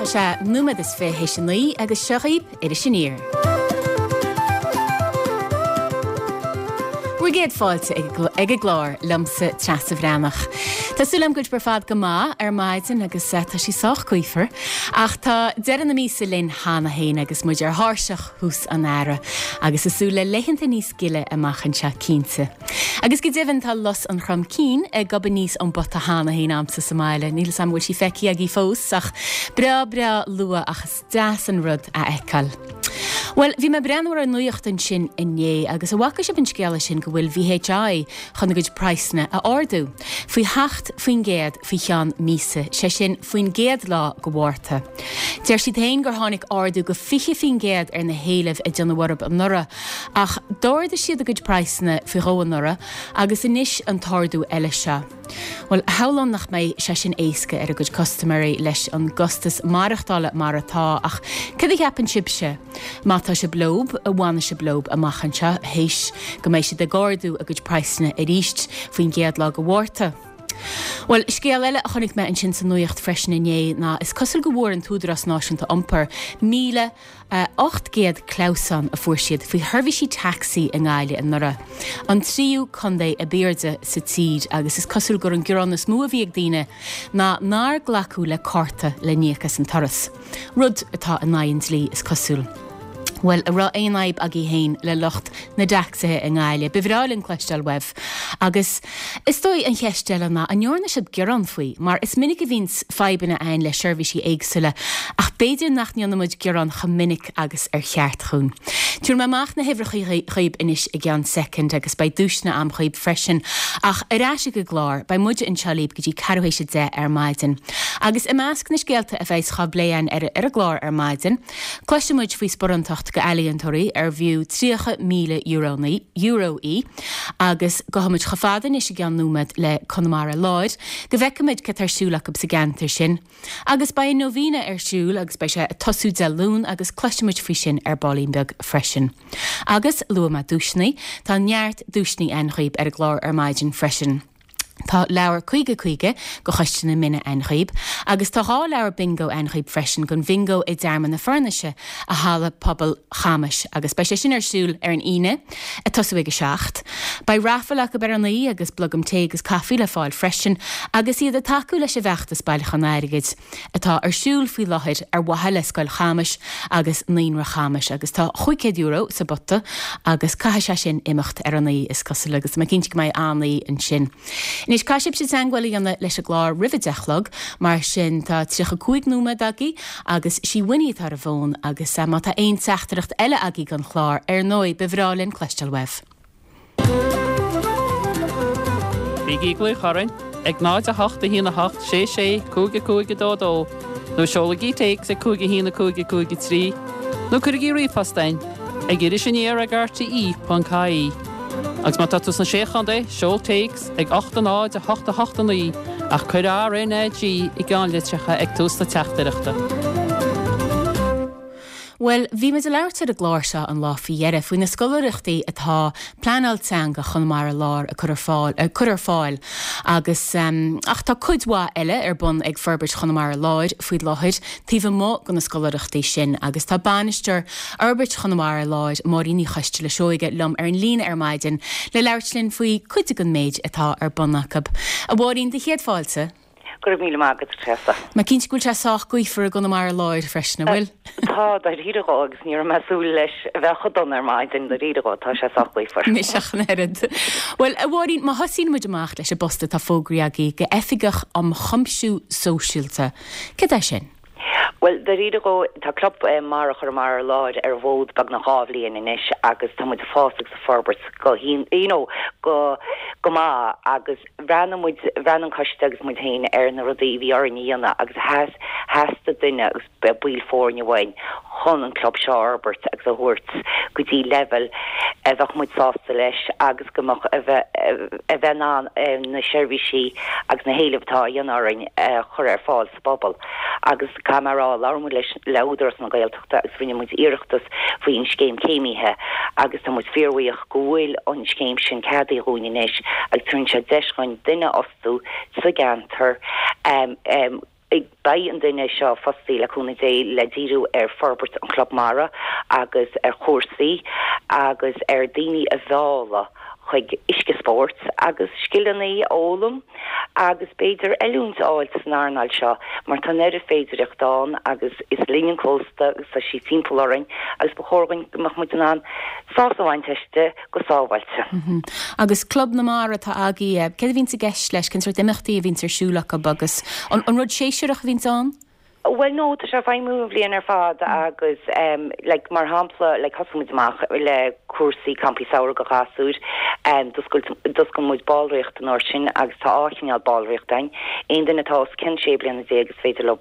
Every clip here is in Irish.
sé nóiméad is 20 théis a 9 agus seo dhaoib Iris Aniar. Bhur gcéad fáilte ag an gclár liomsa Treasa Bhreathnach. Tá súil agam go bhfuil sibh ar fad go maith ar maidin agus tá sí sách gaofar ach tá deireadh na míosa linn cheana féin agus muid ar thairseach thús an earraigh agus ag súil le laethanta níos gile amach anseo cinnte. Agus go deimhin tá lus an Chrom Cinn ag gobadh aníos ón bpota cheana féin a'msa sa mbaile. Níl 'fhios a'm an bhfuil sí feicthe agaibh fós ach breá breá luath ach is deas an rud a fheiceáil. Bhuel, bhí mé ag breathnú ar an nuacht ansin inné agus an bhfaca sibh an scéala sin go bhfuil VHI chun a gcuid praghsanna a ardú faoi 7% faoi cheann míosa, sé sin faoin gcéad lá go Mhárta. Deir siad féin gur tháinig ardú go 20% ar na héilimh a déanadh orthu anuraidh Ach d'ardaigh siad a gcuid praghsanna faoi dhó anuraidh agus anois an t-ardú eile seo. Bhuel, shamhlóinn nach mbeidh sé sin éasca ar a gcuid custaiméirí leis an gcostas maireachtála mar atá ach cad a cheapann sibhse? Má tá sibh leob, an bhfanfaidh sibh leob amach anseo théis go mbeidh siad ag ardú a gcuid praghsanna arís faoin gcéad lá go Mhárta? Bhuel, scéal eile a chonaic mé ansin sa nuacht freisin inné ná is cosúil go bhfuair an tÚdarás Náisiúnta Iompair 1,800 clamhsán a fuair siad faoi sheirbhísí tacsaí i nGaillimh anuraidh, an tríú contae ab airde sa tír agus is cosúil gur an gearán is mó a bhí ag daoine ná nár glacadh le cárta le n-íoc as an turas. Rud atá in aghaidh an dlí is cosúil. Bhuel, an raibh aon fhadhb agaibh féin le lucht na dtacsaithe i nGaillimh? Ba bhreá linn cloisteáil uaibh. Agus is dóigh an cheist eile ná an ndearna sibh gearán faoi? Mar is minic a bhíonns fadhbanna againn le seirbhísí éagsúla ach b'fhéidir nach ndéanann muid gearán chomh minic agus ar cheart dhúinn. Tabharfaidh mé amach na huimhreacha dhaoib anois i gceann soicind agus beidh duaiseanna a'm dhaoib freisin. Ach ar ais ag an gclár, beidh muide anseo libh go dtí ceathrú théis 10 ar maidin. Agus i measc na scéalta a bheas á bplé againn ar an gclár ar maidin, cloisfidh muid faoi sparántacht go ealaíontóirí ar bhfiú €30,000 euro í agus gabhfaidh muid chomh fada anois i gceann nóiméad le Conamara Láir go bhfeicfidh muid cad tá ar siúl acu sa gceantar sin. Agus beidh an Novena ar siúl agus beidh sé ag tosú Dé Luain agus cloisfidh muid faoi sin ar baillín beag freisin. Agus luaigh mé duaiseanna, tá neart duaiseanna ann dhaoib ar an gclár ar maidin freisin. Tá leabhar 50 50 go Choiste na Mine ann dhaoib agus tá 2 leabhar bingo ann dhaoib freisin don bhingo i dTearmann na Fornaise i Halla Pobail Chamais agus beidh sé sin ar siúl ar an Aoine ag tosú ag 7. Beidh raifil acu ar a 9 agus blogam tae agus caife le fáil freisin agus iad ag tacú leis an bhfeachtas bailiúchán airgid atá ar siúl faoi láthair ar mhaithe le Scoil Chamais agus Naíonra Chamais agus tá €500 sa bpota agus caithfidh sé sin imeacht ar a 9 is cosúil agus tá mé cinnte go mbeidh an-aoi ansin. Anois, caithfidh sibhse teagmháil a dhéanamh leis an gclár roimh a deich a chlog, mar sin tá 35 nóiméad agaibh agus sí Winnie atá ar an bhfón agus má tá aon teachtaireacht eile agaibh don chlár, ar ndóigh, ba bhreá linn cloisteáil uaibh. Bígí ag glaoch orainn ag 0 8 1 8 6 6 5 5 2 2 nó seolaigí téacs ag 5 1 5 5 3 nó cuirigí ríomhphost chugainn ag irisaniar ag rte.ie. Agus má tá tú sna Sé Chontae, seol téacs ag 8 0 8 8 9 ach cuir RNAG i gceannlitreacha ag tús na teachtaireachta. Bhuel, bhí muid ag labhairt ar an gclár seo an lá faoi dheireadh faoi na scoláireachtaí atá Pleanáil Teanga Chonamara Láir ag cur ar fáil, ag cur ar fáil agus ach tá cuid mhaith eile ar bun ag Forbairt Chonamara Láir faoi láthair taobh amuigh de na scoláireachtaí sin agus tá bainisteoir Fhorbairt Chonamara Láir, Máirín Ní Choisteala Seoige, liom ar an líne ar maidin le labhairt linn faoi cuid den méid atá ar bun acu. A Mháirín, do chéad fáilte. Go raibh míle maith agat, a Treasa. Mé cinnte go bhfuil sé sách gaofar i gConamara Láir freisin, an bhfuil? Tá, dáiríre dhó, agus ní raibh mé ag súil leis a bheith chomh dona ar maidin, dáiríre dhó, tá sé sách gaofar. Mise ach an oiread. Bhuel, a Mháirín, má thosaíonn muid amach leis an bpost atá fógraithe agaibh go Oifigeach um Chuimsiú Sóisialta, céard é sin? Bhuel, dáiríre dhó, tá Club Mara Chonamara Láir ar an bhfód beagnach 2 bhliain anois agus tá muid ag fás agus ag forbairt go you know, go go maith agus bhreathnaigh muid, bhreathnaigh an coiste agus muid féin ar na rudaí a bhí orainn a dhéanamh agus theas, theastaigh duine agus baill foirne uainn chun an club seo a fhorbairt agus a thabhairt go dtí leibhéal a bheadh muid sásta leis agus go mbeadh a bheith a bheith in ann na seirbhísí agus na héilimh atá á dhéanamh orainn a chur ar fáil. bpobal. Agus caithfidh mé a rá, labhair muid leis, le Údarás na Gaeltachta agus rinne muid iarratas faoi an scéim céimithe agus tá muid fíorbhuíoch go bhfuil an scéim sin ceadaithe dhúinn anois agus tabharann sé deis dhúinn duine a fhostú sa gceantar. Beidh an duine seo fostaí, le cúnamh Dé, le díriú ar forbairt an Chlub Mara agus ar chúrsaí agus ar daoine a mhealladh chuig uisce spóirt agus scileanna a fhoghlaim agus b'fhéidir oiliúint a fháilt san earnáil seo mar tá an oiread féidireacht ann agus is linn an cósta agus tá sí timpeall orainn agus ba chóir dhúinn go mbeadh muid in ann sásamh a bhaint aisti go sábháilte. Agus Club na Mara atá agaibh, céard a bhíonns i gceist leis, cén sórt imeachtaí a bhíonns ar siúl acu agus an rud séasúrach a bhíonns ann? Bhuel no, tá sé ag feidhmiú an bhliain ar fad agus em like mar shampla like thosaigh muid amach le cúrsaí campaí samhraidh do ghasúir em d'oscail d'oscail muid ballraíocht an uair sin agus tá dhá chineál ballraíocht ann. Aon duine atá os cionn 16 bliana is féidir leo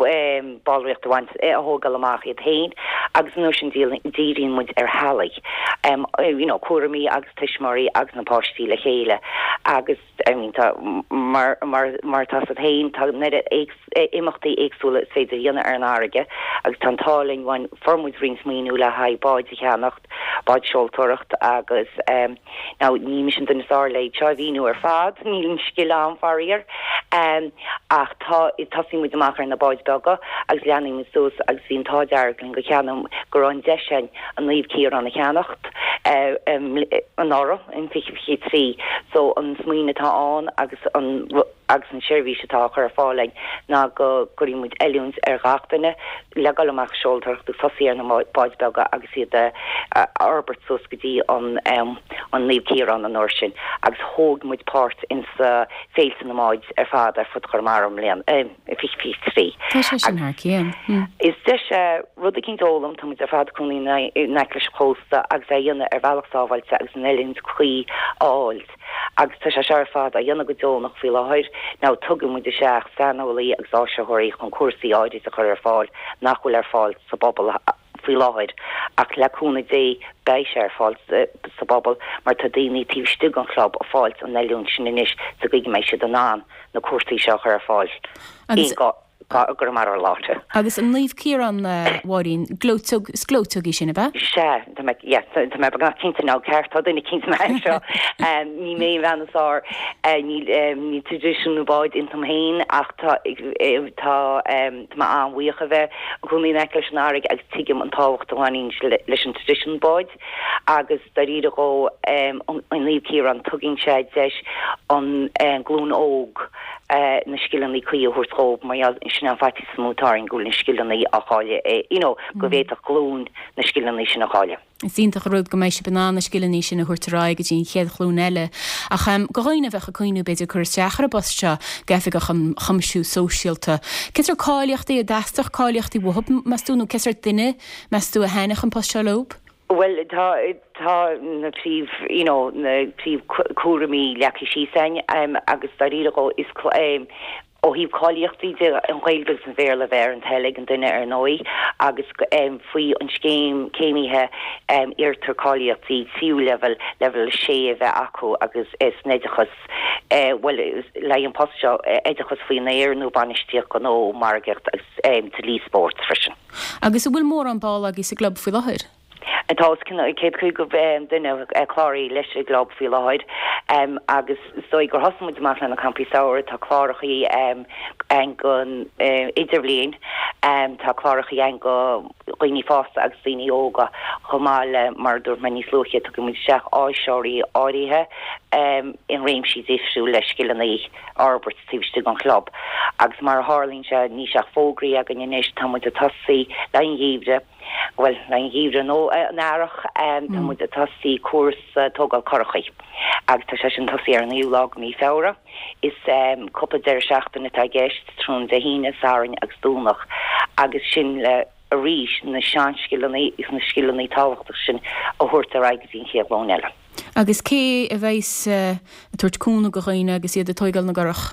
em ballraíocht a bhaint a thógáil amach iad féin agus an uair sin díríonn muid ar theaghlaigh em you know cúraimí agus tuismitheoirí agus na páistí le chéile agus I mean tá mar mar mar atá a fhios agat féin tá an oiread imeachtaí éagsúla is féidir a dhéanamh ar an fharraige agus tá an t-ádh linn bhain fuair muid roinnt maoiniú le haghaidh báid a cheannacht, báid seoltóireacht agus em now ní mise an duine is fearr le iad seo a mhíniú ar fad, níl an scil a'm faraor em ach tá tosaíonn muid amach ar na báid beaga agus leanann muid suas agus bhí an t-ádh dearg linn go cheannaigh go raibh an deis a'inn an Naomh Ciarán a cheannacht eh em anuraidh. in 2023. So an smaoineamh atá ann agus an agus an seirbhís atá á chur ar fáil againn ná go gcuirfidh muid oiliúint ar ghach duine le dul amach ag seoltóireacht agus tosaí ar na báid beaga agus iad a fhorbairt suas go dtí an an Naomh Ciarán an uair sin agus thóg muid páirt insa féilte na mbáid ar fad ar fud Chonamara i mbliana. 2023. Tá sé sin thar cionn. Is deis é rud eicínt a fhoghlaim, tá muid ar fad ag cónaí in aice leis an chósta agus é a dhéanamh ar bhealach sábháilte agus an oiliúint cuí a fháilt. Agus tá sé seo ar fad á dhéanamh go deonach faoi láthair. Now tugann muid isteach saineolaí agus áisitheoirí chun cúrsaí áirid a chur ar fáil nach bhfuil ar fáil sa bpobal faoi láthair ach le cúnamh Dé beidh sé ar fáil sa bpobal mar tá daoine taobh istigh den chlub ag fáilt an oiliúint sin anois sa gcaoi go mbeidh siad in ann na cúrsaí seo a chur ar fáil i gConamara Láir. Agus an Naomh Ciarán, a Mháirín, gleoiteog, is gleoiteog í sin, ab ea? Sea, tá mé, yeah, tá mé beagnach cinnte now, ceart, tá duine eicínt anseo. Ní mé an bhean is fearr, níl, níl traidisiún na báid iontam féin ach tá, tá, tá mé an-bhuíoch a bheith i gcónaí in aice leis an fharraige agus tuigim an tábhacht a bhaineann leis an traidisiún báid agus dáiríre dhó an Naomh Ciarán tugann sé deis an glúin óg na scileanna cuí a thabhairt dhóibh mar gheall sin an faitíos is mó atá orainn go bhfuil na scileanna á chailleadh you know go bhféadfadh glúin na scileanna sin a chailleadh. Is iontach an rud go mbeidh sibh in ann na scileanna sin a thabhairt ar aghaidh go dtí an chéad ghlúin eile. Ach do dhaoine a bheadh ag cuimhniú b'fhéidir cur isteach ar an bpost seo d'Oifigeach um Chuimsiú Sóisialta, cén sórt cáilíochtaí a dteastódh cáilíochtaí uathu, meas tú, nó cén sórt duine, meas tú, a thaitneodh an post seo leob? Bhuel, tá, tá na príomh, you know, na príomh cúraimí leagtha síos againn agus dáiríre dhó is ó thaobh cáilíochtaí de, an Ghaeilge agus an Bhéarla a bheith ar an toil ag an duine ar ndóigh agus faoi an scéim céimithe iarrtar cáilíochtaí tríú leibhéal, leibhéal 6 a bheith acu agus san oideachas, bhuel le haghaidh an post seo, oideachas faoin aer nó bainistíocht gnó, margaíocht agus dlí spóirt freisin. Agus an bhfuil mórán ball agaibh sa gclub faoi láthair? Tá os cionn 150 duine cláraithe leis an gclub faoi láthair agus is dóigh gur thosaigh muid amach le na campaí samhraidh, tá clárachaí ann don idirbhliain, tá clárachaí ann do dhaoine fásta agus daoine óga chomh maith le, mar a dúirt mé níos luaithe, tugann muid isteach áisitheoirí áirithe in réimsí difriúla le scileanna a fhorbairt taobh istigh den chlub agus mar a tharlaíonn sé níl ach fógraí againn anois, tá muid ag tosaí le an gheimhreadh. Bhuel, an geimhreadh nó an earrach, tá muid ag tosaí cúrsa tógáil curachaí agus tá sé sin tosaí ar an naoú lá de mhí Feabhra. Is cúpla deireadh seachtaine atá i gceist, tráthnóna Dé hAoine, Sathairn agus Domhnach agus sin le arís na seanscileanna agus na scileanna tábhachtacha sin a thabhairt ar aghaidh go dtí an chéad ghlúin eile. Agus cé a bheas ag tabhairt cúnamh do dhaoine agus iad ag tóigeáil na gcurach?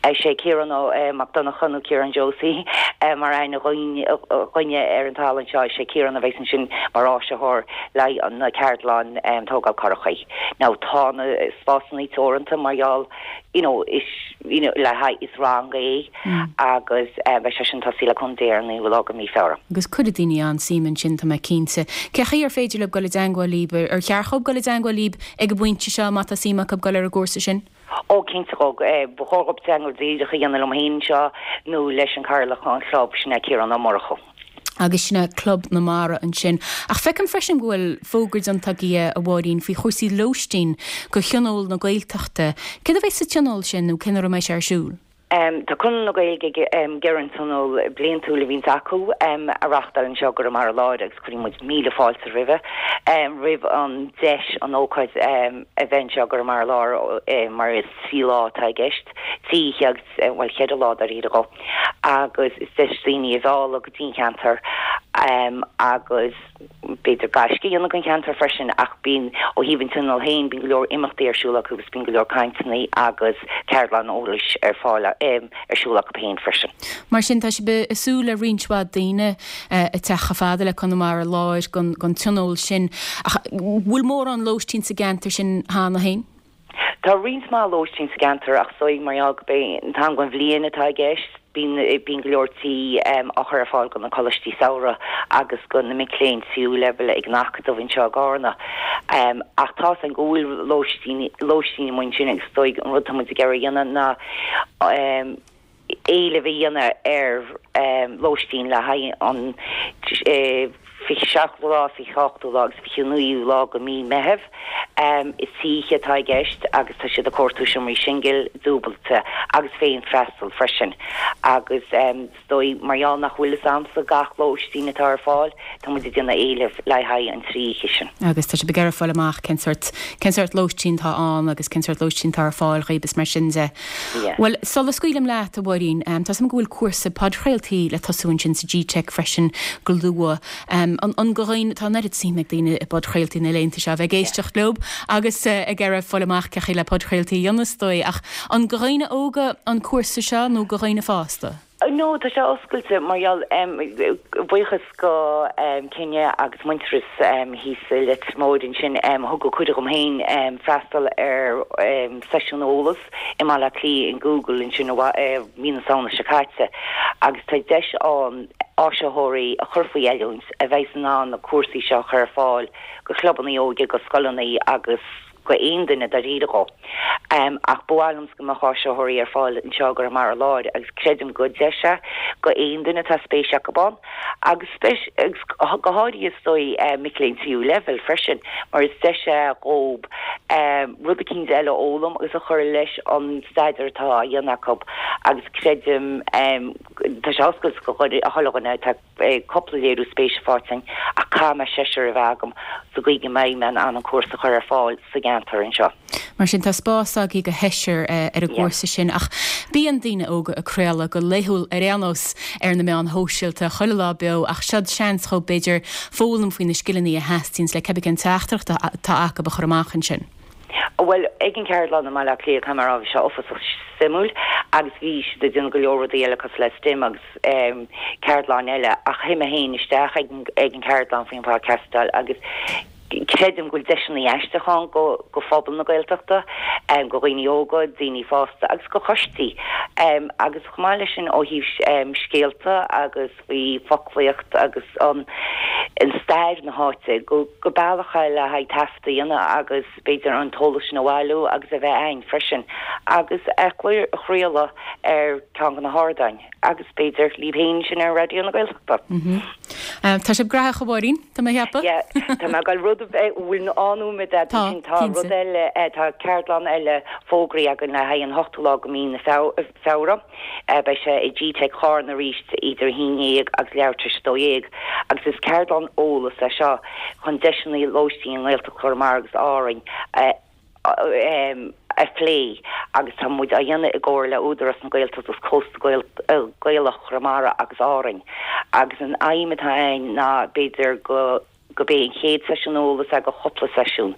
Is é Ciarán Mac Donncha nó Ciarán Josie mar aithne againne ar an talamh anseo, is é Ciarán a bheas ansin mar áisitheoir le haghaidh na ceardlann tógáil curachaí. Now tá na spásanna teoranta mar gheall you know is you know le haghaidh is rang é agus beidh sé sin tosaí le cúnamh Dé ar an naoú lá de mhí Feabhra. Agus cuirfidh daoine an-suim ansin tá mé cinnte. Cé chaoi ar féidir leo dul i dteangmháil libh? Ar cheart dhóibh dul i dteangmháil libh ag an bpointe seo má tá suim acu dul ar an gcúrsa sin? Ó, cinnte dhó, ba chóir dhób teagmháil díreach a dhéanamh liom féin anseo nó leis an Cathaoirleach an chlub, sin é Ciarán Ó Murchú. Agus sin é Club na Mara ansin. Ach feicim freisin go bhfuil fógra déanta agaibh, a Mháirín, faoi chúrsaí lóistín go Thionól na Gaeltachta. Céard a bheidh sa tionól sin nó cén uair a mbeidh sé ar siúl? Tá Conradh na Gaeilge ag iarraidh an tionól bliantúil a bhíonns acu a reachtáil anseo i gConamara Láir agus cuireann muid míle fáilte roimhe, roimh an deis an ócáid a bheith anseo i gConamara Láir mar is 3 lá atá i gceist, 3 oíche agus, bhuel, cheithre lá dáiríre dhó agus is deis daoine a mhealladh go dtí an cheantar agus. b'fhéidir gaisce a dhéanamh den cheantar freisin ach bíonn, ó thaobh an tionóil féin, bíonn go leor imeachtaí ar siúl acu agus bíonn go leor cainteanna agus ceardlann eolais ar fáil, ar siúl acu féin freisin. Mar sin, tá sibh ag súil le roinnt mhaith daoine ag teacht chomh fada le Conamara Láir don tionól sin. Ach bhfuil mórán lóistín sa gceantar sin cheana féin? Tá roinnt mhaith lóistín sa gceantar ach is dóigh mar gheall gurb é an t-am den bhliain atá i gceist, bíonn bíonn go leor tí á chur ar fáil do na coláistí samhraidh agus do na mic léinn tríú leibhéal ag an Acadamh anseo i gCarna. Ach tá's againn go bhfuil lóistín lóistín amuigh ansin agus is dóigh an rud atá muid ag iarraidh a dhéanamh ná éileamh a dhéanamh ar lóistín le haghaidh an 27ú lá, 28ú lá agus 29ú lá de mhí Meitheamh. Is trí oíche atá i gceist agus tá siad ag cuartú seomraí singil, dúbailte agus féin-freastal freisin. Agus is dóigh, mar gheall nach bhfuil fhios a'msa gach lóistín atá ar fáil, tá muid ag déanamh éileamh le haghaidh an trí oíche sin. Agus tá sibh ag iarraidh fáil amach cén sórt, cén sórt lóistín atá ann agus cén sórt lóistín atá ar fáil dhaoib is mar sin de. Bhuel, sula scaoilim leat, a Mháirín, tá 'fhios a'm go bhfuil cúrsa podchraoltaí le tosú ansin sa GTeic freisin go luath. An, an go dhaoine, tá an oiread suim ag daoine i bpodchraoltaí na laethanta seo, a bheith ag éisteacht leob agus ag iarraidh fáil amach cén chaoi le podchraoltaí a dhéanamh is dóigh, ach an go dhaoine óga an cúrsa seo nó go dhaoine fásta? No, tá sé oscailte mar gheall, buíochas go Kinne agus Muintearas thíos i Leitir Móir ansin, thugadh cuireadh dhom féin freastal ar seisiún eolas i mBaile Átha Cliath in Google ansin i mí na Samhna seo caite agus tá deis ann áisitheoirí a chur faoi oiliúint a bheidh in ann na cúrsaí seo a chur ar fáil go chlubanna óige, go scoileanna agus go aon duine dáiríre dhó. Ach ba mhaith liomsa go mbeadh áisitheoirí ar fáil anseo i gConamara Láir agus creidim gur deis é go aon duine atá spéis acu ann agus spéis agus go háirithe is dóigh mic léinn tríú leibhéal freisin mar is deis é dhób rud eicínt eile a fhoghlaim agus a chur leis an staidéar atá á dhéanamh acu agus creidim tá sé oscailte go chuile dhuine atá cúpla léiriú spéise faighte againn ach caithfidh mé seisear a bheith agam sa gcaoi go mbeidh mé in ann an cúrsa a chur ar fáil sa gceantar anseo. Mar sin tá spás agaibh go sheisear ar an gcúrsa sin ach bíonn daoine óga ag craoladh go laethúil ar aon nós ar na meáin shóisialta chuile lá beo ach seod seans dhóibh b'fhéidir foghlaim faoi na scileanna a theastaíonns le cibé cén teachtaireacht atá acu a chur amach ansin. Bhuel, ag an cheardlann i mBaile Átha Cliath, caithfidh mé a rá, bhí sé uafásach suimiúil agus bhí siad ag déanamh go leor rudaí eile cosúil le STEM agus ceardlann eile ach shuigh mé féin isteach ag an cheardlann faoin phodchastáil agus creidim go bhfuil deiseanna aisteacha ann go go phobal na Gaeltachta, go dhaoine óga, daoine fásta agus go choistí. Agus chomh maith leis sin ó thaobh scéalta agus faoi foclaíocht agus an stair na háite, go bealach é le haghaidh taifead a dhéanamh agus b'fhéidir an t-eolas sin a bhailiú agus a bheith a'ainn freisin agus a chraoladh ar ceann de na hardáin agus b'fhéidir libh féin sin ar Raidió na Gaeltachta. Tá sibh graitheach a Mháirín, tá mé a cheapadh. Yeah, tá mé ag dul rud a bheith, bhfuil aon nóiméad agat Tá, ansin, tá cinnte. rud eile, tá ceardlann eile fógraithe againn le haghaidh an ochtú lá de mhí na Feabhra. Beidh sé i GTeic Charna arís idir 11 agus leathuair tar éis 12 agus is ceardlann eolais é seo chun deiseanna lóistín i nGaeltacht Chonamara agus Árainn a phlé agus tá muid á dhéanamh i gcomhar le Údarás na Gaeltachta agus Cósta Gaelach Chonamara agus Árainn agus an aidhm atá againn ná b'fhéidir go gurb é an chéad seisiún eolais é de chúpla seisiún.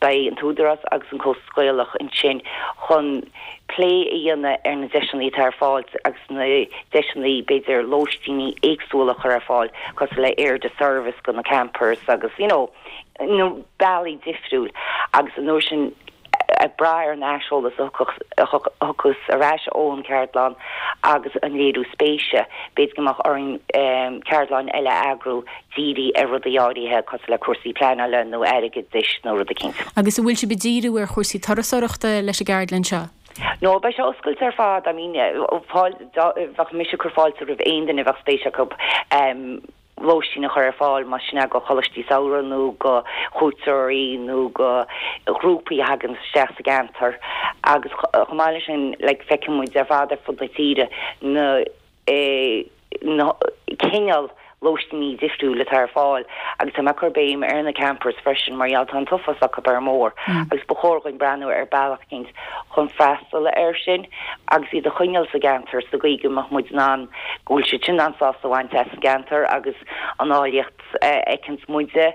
Beidh an tÚdarás agus an Cósta Gaelach ansin chun plé a dhéanamh ar na deiseanna atá ar fáil agus na deiseanna, b'fhéidir, lóistíní éagsúla a chur ar fáil, cosúil le aire de service do na campers agus, you know, na bealaí difriúil agus an uair sin. Ag brath ar an aiseolas a thiocfas ar ais ón cheardlann agus an léiriú spéise, b'fhéidir go mbeadh orainn ceardlann eile a eagrú dírithe ar rudaí áirithe cosúil le cúrsaí pleanála nó airgeadais nó rud eicínt. Agus an bhfuil sibh ag díriú ar chúrsaí turasóireachta leis an gceardlann seo? No, beidh sé oscailte ar fad. I mean, bheadh mise ag cur fáilte roimh aon duine a bheadh spéis acu. lóistín a chur ar fáil, más sin é go choláistí samhraidh nó go chuairteoirí nó go ghrúpaí a thagann isteach sa gceantar agus chomh maith leis sin like feiceann muid ar fad ar fud na tíre na na cineál lóistíní difriúil atá ar fáil agus tá mé ag cur béim ar na campers freisin mar gheall tá an t-uafás acu ar an mbóthar agus ba chóir dhuinn breathnú ar bealach eicínt chun freastal air sin agus iad a choinneáil sa gceantar sa gcaoi go mbeadh muid in ann, go bhfuil siad sin in ann sásamh a bhaint as an gceantar agus an áilleacht a fheiceanns muide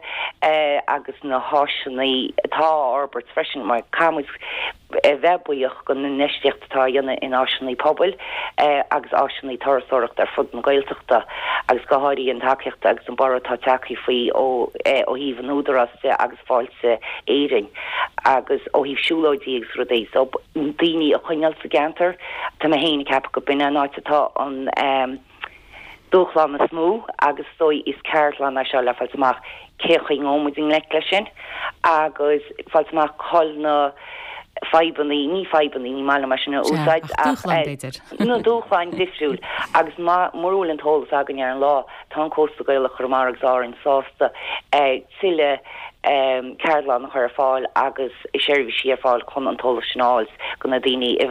agus na háiseanna atá á fhorbairt freisin mar caithfidh muid a bheith buíoch don infheistíocht atá á dhéanamh in áiseanna pobail agus áiseanna turasóireachta ar fud na Gaeltachta agus go háirithe an tacaíocht agus an borradh atá tagtha faoi ó thaobh an Údarás de agus Fáilte Éireann agus ó thaobh siúlóidí agus rudaí so daoine a choinneáil sa gceantar. Tá mé féin ag ceapadh go b'in é an áit atá an dúshlán is mó agus is dóigh is ceardlann é seo le fáilt amach cé chaoi ngabhann muid i ngleic leis sin agus fáilt amach cá bhfuil na fadhbanna, ní fadhbanna, ní maith liom é sin a úsáid ach dúshláin b'fhéidir. na dúshláin difriúil agus mura bhfuil an t-eolas againn ar an lá tá an Cósta Gaelach Chonamara agus Árainn sásta tuilleadh ceardlann a chur ar fáil agus seirbhísí ar fáil chun an t-eolas sin a fháil do na daoine a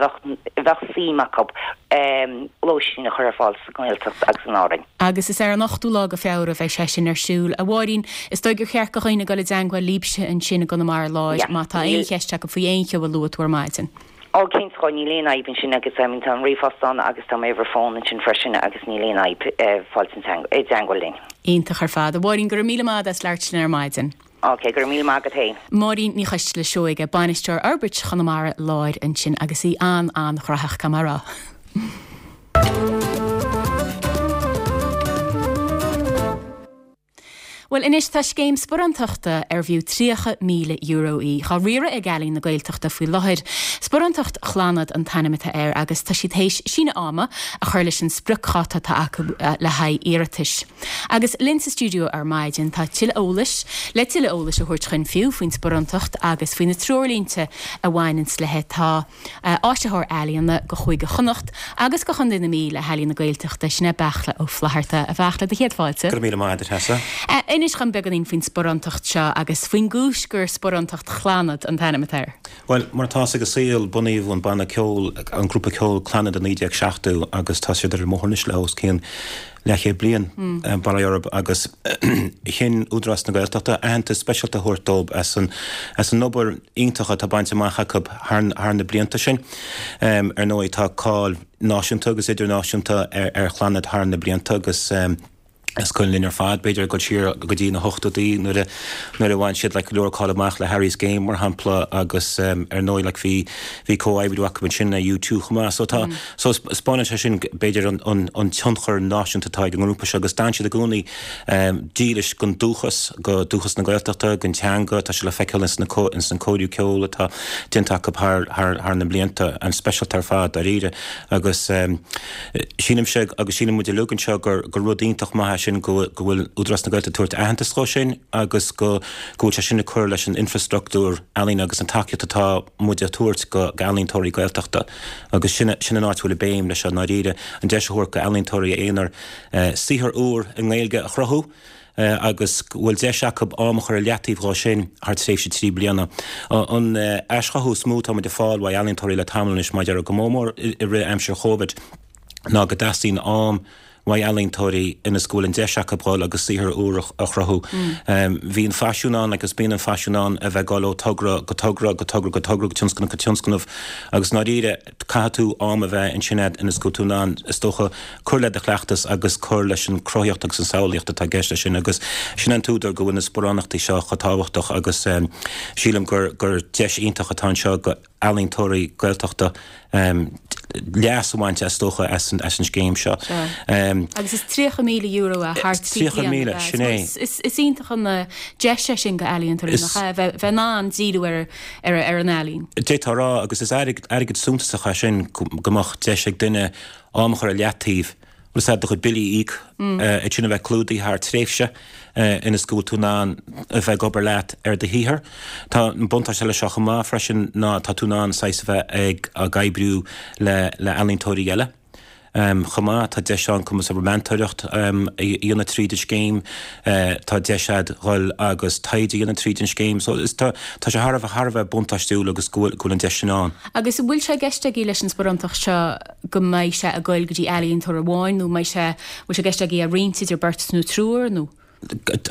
bheadh suim acu lóistín a chur ar fáil sa nGaeltacht agus in Árainn. Agus is ar an ochtú lá de Feabhra a bheidh sé sin ar siúl. A Mháirín, is dóigh gur cheart do dhaoine dul i dteangmháil libhse ansin i gConamara Láir má tá aon cheist acu faoi aon cheo a luaigh tú ar maidin. Ó, cinnte, dhó, níl aon fhadhb ansin agus I mean tá an ríomhphost ann agus tá m'uimhir fóin ansin freisin agus níl aon fhadhb fáilt i dteangmháil linn. Iontach ar fad. A Mháirín, go raibh míle maith agat as labhairt linn ar maidin. Ok, go raibh míle maith agat féin. Máirín Ní Choisteala Seoige, Bainisteoir Fhorbairt Chonamara Láir ansin agus í an-an-ghnóthach, caithfidh mé a rá. Bhuel anois tá scéim sparántachta ar bhfiú €30,000 í, dhá riaradh ag Ealaín na Gaeltachta faoi láthair. Sparántacht Chlannad an t-ainm atá air agus tá siad théis síneadh ama a chur leis an spriocdháta atá acu le haghaidh iarratais. Agus linn sa stiúideo ar maidin tá tuilleadh eolais, le tuilleadh eolais a thabhairt chuinn fiú faoin sparántacht agus faoi na treoirlínte a bhaineanns léi tá. Áisitheoir Ealaíona go Chúige Chonnacht agus go Chontae na Mí le hEalaín na Gaeltachta, sin é Beartla Ó Flatharta. A Bheartla, do chéad fáilte. Go raibh míle maith agat, a Treasa. Inis dhom beagáinín faoin sparántacht seo agus faoin gcúis gur Sparántacht Chlannad an t-ainm atá air. Bhuel, mar atá a fhios ag an saol, bunaíodh an banna ceoil, an grúpa ceoil Clannad i 1970 agus tá siad ar an mbóthar anois le os cionn leathchéad bliain, bail ó Dhia orthu, agus chinn Údarás na Gaeltachta aitheantas speisialta a thabhairt dóibh as an as an obair iontach atá bainte amach acu thar thar na blianta sin. Ar ndóigh tá cáil náisiúnta agus idirnáisiúnta ar ar Chlannad thar na blianta agus is cuimhin linn ar fad b'fhéidir ag dul siar go dtí na hochtóidí nuair a nuair a bhain siad like go leor cáil amach le Harry's Game mar shampla agus ar ndóigh like bhí bhí comhoibriú acu ansin le U2 chomh maith so tá So, 'spáineann sé sin, b'fhéidir, an tionchar náisiúnta atá ag an ngrúpa seo agus d'fhan siad i gcónaí dílis don dúchas, go dúchas na Gaeltachta, don teanga, tá sé le feiceáil ins na cóiriú ceoil atá déanta acu thar na blianta, an-speisialta ar fad, dáiríre. Agus sílimse, agus síleann muid uilig anseo, gur rud iontach maith é sin go bhfuil Údarás na Gaeltachta ag tabhairt aitheantas dhó sin agus go bhfuil sé sin ag cur leis an infreastruchtúr ealaíne agus an tacaíocht atá muid a thabhairt go ealaíontóirí Gaeltachta. Agus sin sin an áit a bhfuil an béim leis seo i ndáiríre, an deis a thabhairt go ealaíontóirí aonair saothar úr i nGaeilge a chruthú agus go bhfuil deis acu am a chur i leataobh dhó sin thar tréimhse 3 bliana. An aischothú is mó atá muid ag fáil uaidh ealaíontóirí le tamall anois, mar a déarfá, go mór mór i rith aimsir Chóivid, ná go dteastaíonn am uaidh ealaíontóirí ionas go bhfuil an deis acu dhul agus saothar úr a chruthú. Bhí an faisiún ann agus bíonn an faisiún ann a bheith ag dul ó togra go togra, go togra go togra, go tionscnamh go tionscnamh agus i ndáiríre caithfidh tú am a bheith ansin agat ionas go bhfuil tú in ann, is dócha, cur le do chleachtas agus cur leis an chruthaíocht agus an samhlaíocht atá i gceist leis sin agus sin an t-údar go bhfuil na sparánachtaí seo chomh tábhachtach agus sílim gur deis iontach atá anseo go ealaíontóirí Gaeltachta. leas a bhaint, is dócha, as an scéim seo. Sea. Agus is €30,000 é thar 3 bliana, 30,000, sin é. Is iontach an deis é sin go ealaíontóirí, nach ea, bheith in ann díriú ar an ealaín. D'fhéadfá a rá, agus is airgead suntasach é sin go mbeadh deis ag duine am a chur ar leataobh, bhfuil 'fhios a'd, do chuid billí a íoc, iad sin a bheith clúdaithe thar tréimhse ionas go bhfuil tú in ann a bheith ag obair leat ar do shaothar. Tá an buntáiste leis seo chomh maith freisin ná tá tú in ann saghas a bheith ag oibriú le ealaíontóirí eile chomh maith. Tá deis ann cumas abair meantóireacht a dhéanamh tríd an scéim, tá deis a'd dhul agus taighde a dhéanamh tríd an scéim. So tá sé thar a bheith buntáistiúil agus go bhfuil an deis sin ann. Agus an bhfuil sé i gceist agaibh leis an sparántacht seo go mbeidh sé ag goil go dtí ealaíontóir amháin nó mbeidh sé, bhfuil sé i gceist agaibh é a roinnt idir beirt nó triúr nó?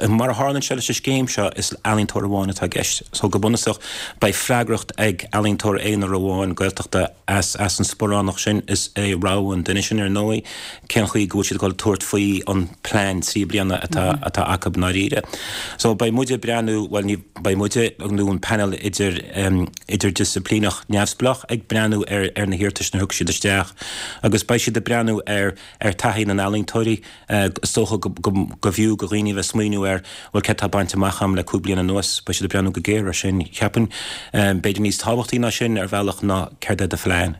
Mar a tharlaíonn sé leis an scéim seo, is ealaíontóir amháin atá i gceist. So go bunúsach, beidh freagracht ag ealaíontóir aonair amháin Gaeltachta as as an sparánacht sin. Is é rogha an duine sin, ar ndóigh, cén chaoi go bhfuil siad ag dul tabhairt faoi an plean 3 bliana atá atá acu i ndáiríre. So beidh muide ag breathnú, bhuel ní beidh muide nó an panel idir idirdhisciplíneach neamhspleách ag breathnú ar ar na hiarratais a thug siad isteach agus beidh siad ag breathnú ar ar taithí na n-ealaíontóirí. Is dócha go go go bhfiú go dhaoine a bheith ag smaoineamh ar bhuel céard atá bainte amach agam le 5 bliana anuas, beidh siad ag breathnú go géar ar sin. Cheapfainn b'fhéidir níos tábhachtaí ná sin ar bhealach ná céard é do phlean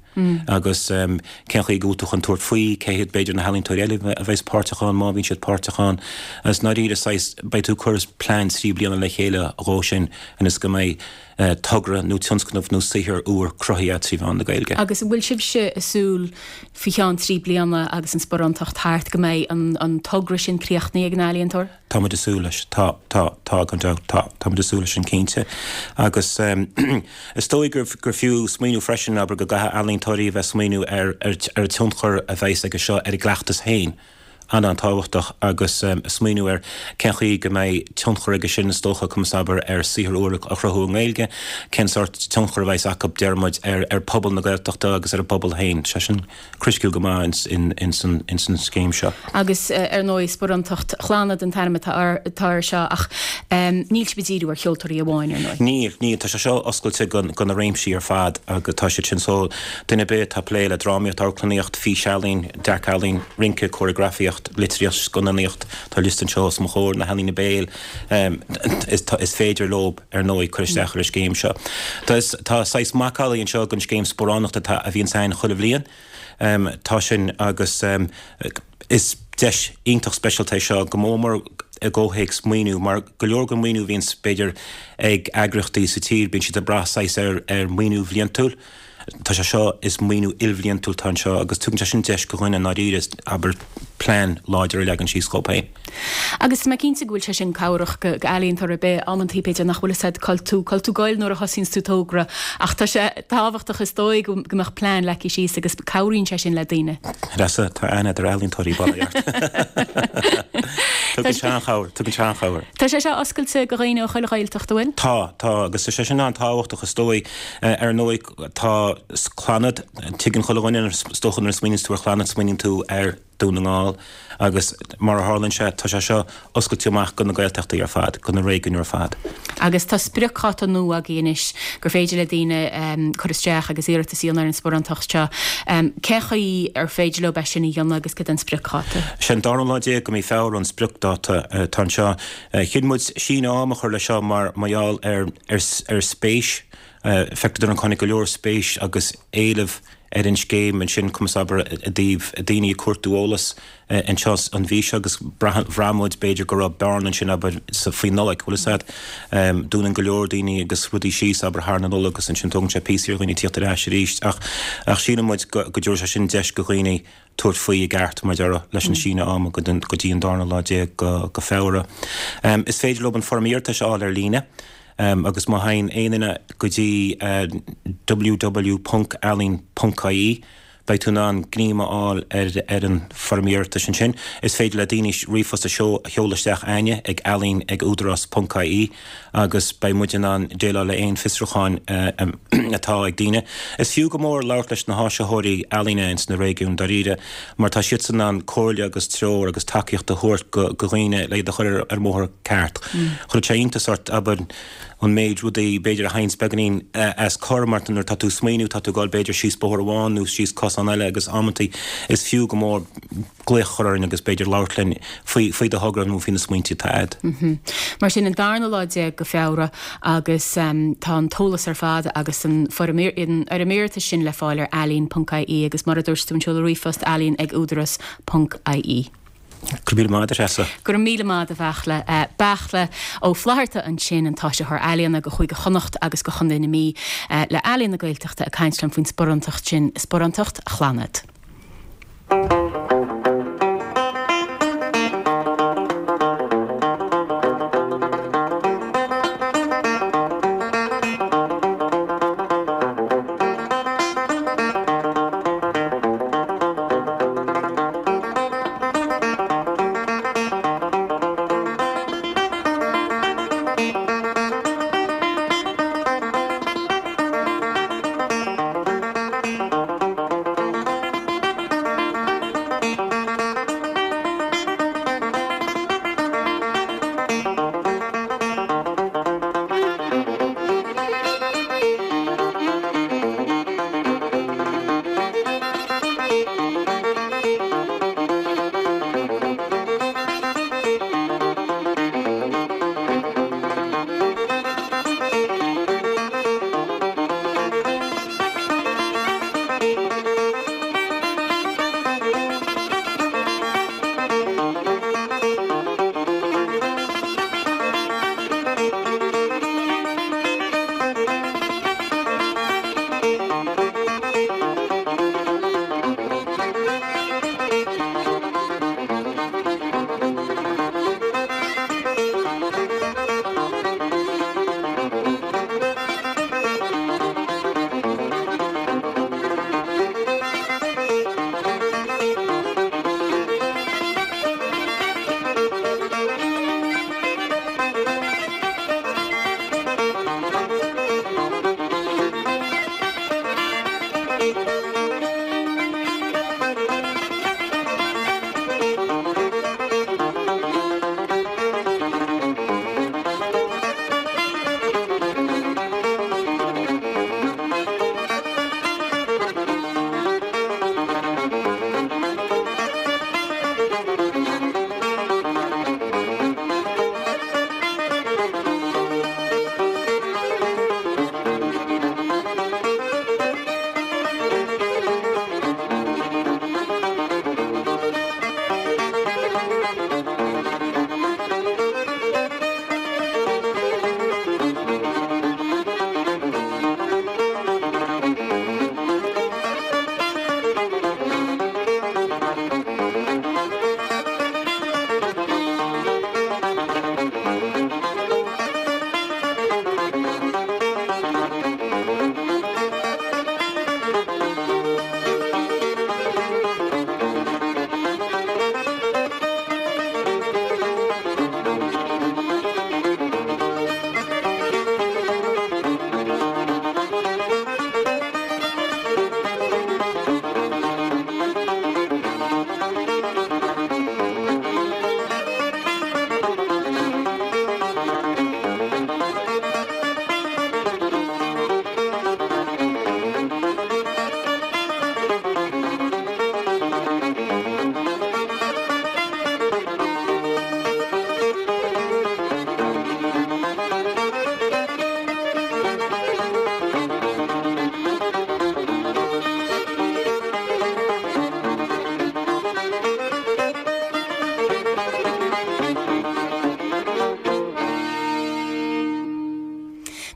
agus cén chaoi go bhfuil tú chun tabhairt faoi, cé hiad b'fhéidir na healaíontóirí eile a bheas páirteach ann má bhíonn siad páirteach ann. Agus i ndáiríre saghas beidh tú ag cur plean 3 bliana le chéile dhó sin ionas go mbeidh togra nó tionscnamh nó saothar úr cruthaithe agat trí mheán na Gaeilge. Agus an bhfuil sibhse ag súil faoi cheann 3 bliana agus an sparántacht thart go mbeidh an togra sin críochnaithe ag an ealaíontóir? Tá muid ag súil leis. Tá, tá, tá, gan dabht, tá. Tá muid ag súil leis sin cinnte. Agus is dóigh gur gur fiú smaoineamh freisin, abair, go gcaithfidh ealaíontóirí a bheith ag smaoineamh ar ar an tionchar a bheas aige seo ar a gcleachtas féin. an-an-tábhachtach agus smaoineamh ar cén chaoi go mbeidh tionchar aige sin, is dócha, conas abair, ar saothar úr a chruthú i nGaeilge, cén sórt tionchar a bheas acu, deir muid, ar ar phobal na Gaeltachta agus ar an bpobal féin. Sé sin criticiúil go maith ins an scéim seo. Agus ar ndóigh, Sparántacht Chlannad an t-ainm atá air seo ach níl sibh ag díriú ar cheoltóirí amháin, ar ndóigh. Níl, níl. Tá sé seo oscailte go na réimsí ar fad agus tá siad sin so duine ar bith atá ag plé le drámaíocht, amharclannaíocht, físealaín, dearc-ealaín, rince, córagrafaíocht, litríocht, scannánaíocht, tá liosta anseo os mo chomhair, na healaíona béil, is féidir leo, ar ndóigh, cur isteach ar an scéim seo. Tá saghas macallaí anseo den scéim sparánachta atá, a bhíonns ann chuile bhliain. Tá sin agus is deis iontach speisialta é seo, go mór mór i gcomhthéacs maoiniú, mar go leor den mhaoiniú a bhíonns, b'fhéidir, ag eagraíochtaí sa tír, bíonn siad ag brath saghas ar mhaoiniú bhliantúil. Tá sé seo, is maoiniú ilbhliantúil atá anseo agus tugann sé sin deis go dhuine i ndáiríre, abair, plean láidir a leagan síos dhóibh féin. Agus tá mé cinnte go bhfuil sé sin cabhrach go ealaíontóir ar bith, amantaí b'fhéidir nach bhfuil fhios a'd cá bhfuil tú, cá bhfuil tú ag goil nuair a thosaíonns tú togra ach tá sé tábhachtach is dóigh go mbeadh plean leagtha síos agus cabhraíonn sé sin le daoine. Treasa, tá aithne a'd ar ealaíontóirí, bail ort. Tugann sé an-chabhair, tugann sé an-chabhair. Tá sé seo oscailte go dhaoine ó chuile Ghaeltacht, an bhfuil? Tá, tá, agus tá sé sin an-tábhachtach is dóigh. Ar ndóigh, tá Clannad, tuigeann chuile dhuine, is dócha nuair a smaoiníonns tú ar Chlannad, smaoiníonn tú ar Dún na nGall agus mar a tharlaíonn sé, tá sé seo oscailte amach go na Gaeltachtaí ar fad, go na réigiúin ar fad. Agus tá spriocdháta nua agaibh anois gur féidir le daoine cur isteach agus iarratas a dhéanamh ar an sparántacht seo. Cén chaoi ar féidir leo é sin a dhéanamh agus cad é an spriocdháta? Sé an dara lá déag de mhí Feabhra an spriocdháta atá anseo. Chinn muid síneadh ama a chur leis seo mar mar gheall ar ar spéis. Feictear dúinn tháinig go leor spéis agus éileamh ar an scéim ansin, conas abair, i dtaobh daoine ag cuartú eolas anseo an mhí seo agus bhraith muid b'fhéidir go raibh bearna ansin abair faoi Nollaig, bhfuil fhios a'd. Dúnann go leor daoine agus rudaí síos abair thar na Nollag agus ansin tógann sé píosa ar dhaoine tíocht ar ais arís ach ach síleann muid go go dtabharfaidh sé sin deis go dhaoine tabhairt faoi i gceart mar a déarfá leis an síneadh ama go dtí an darna lá déag go Feabhra. Is féidir leo an foirm iarratais a fháil ar líne agus má théann aon duine go dtí www.ealaín.ie beidh tú in ann greim a fháil ar an foirm iarratais ansin. Is féidir le daoine ríomhphost a sheoladh isteach chugainne ag ealaín ag údarás.ie agus beidh muid in ann déileáil le aon fiosrúcháin atá ag daoine. Is fiú go mór labhairt leis na háisitheoirí ealaíne ins na réigiúin dáiríre mar tá siadsan in ann comhairle agus treoir agus tacaíocht a thabhairt go dhaoine le iad a chur ar an mbóthar ceart. Chuirfeadh sé iontas ort, abair. an méid rudaí b'fhéidir a théanns beagáinín as cor mar nuair atá tú ag smaoineamh tá tú ag dul b'fhéidir síos bóthar amháin nó síos cosán eile agus amantaí is fiú go mór glaoch a chur orainn agus b'fhéidir labhairt linn faoi faoi do thogra nó faoi na smaointe atá agat. Mar sin an darna lá go Feabhra agus tá an t-eolas ar fad agus an foirm an fhoirm iarratais sin le fáil ar ealaín ponc ie agus mar a dúirt tú an seoladh ríomhphost ealaín ag údaras ponc ie. Go raibh míle maith agat, a Threasa. Go raibh míle maith agat, a Bheachla. Beachla Ó Flatharta ansin, an t-áisitheoir ealaíona go Chúige Chonnacht agus go Chontae na Mí le Ealaín na Gaeltachta ag caint liom faoin sparántacht sin, Sparántacht Chlannad.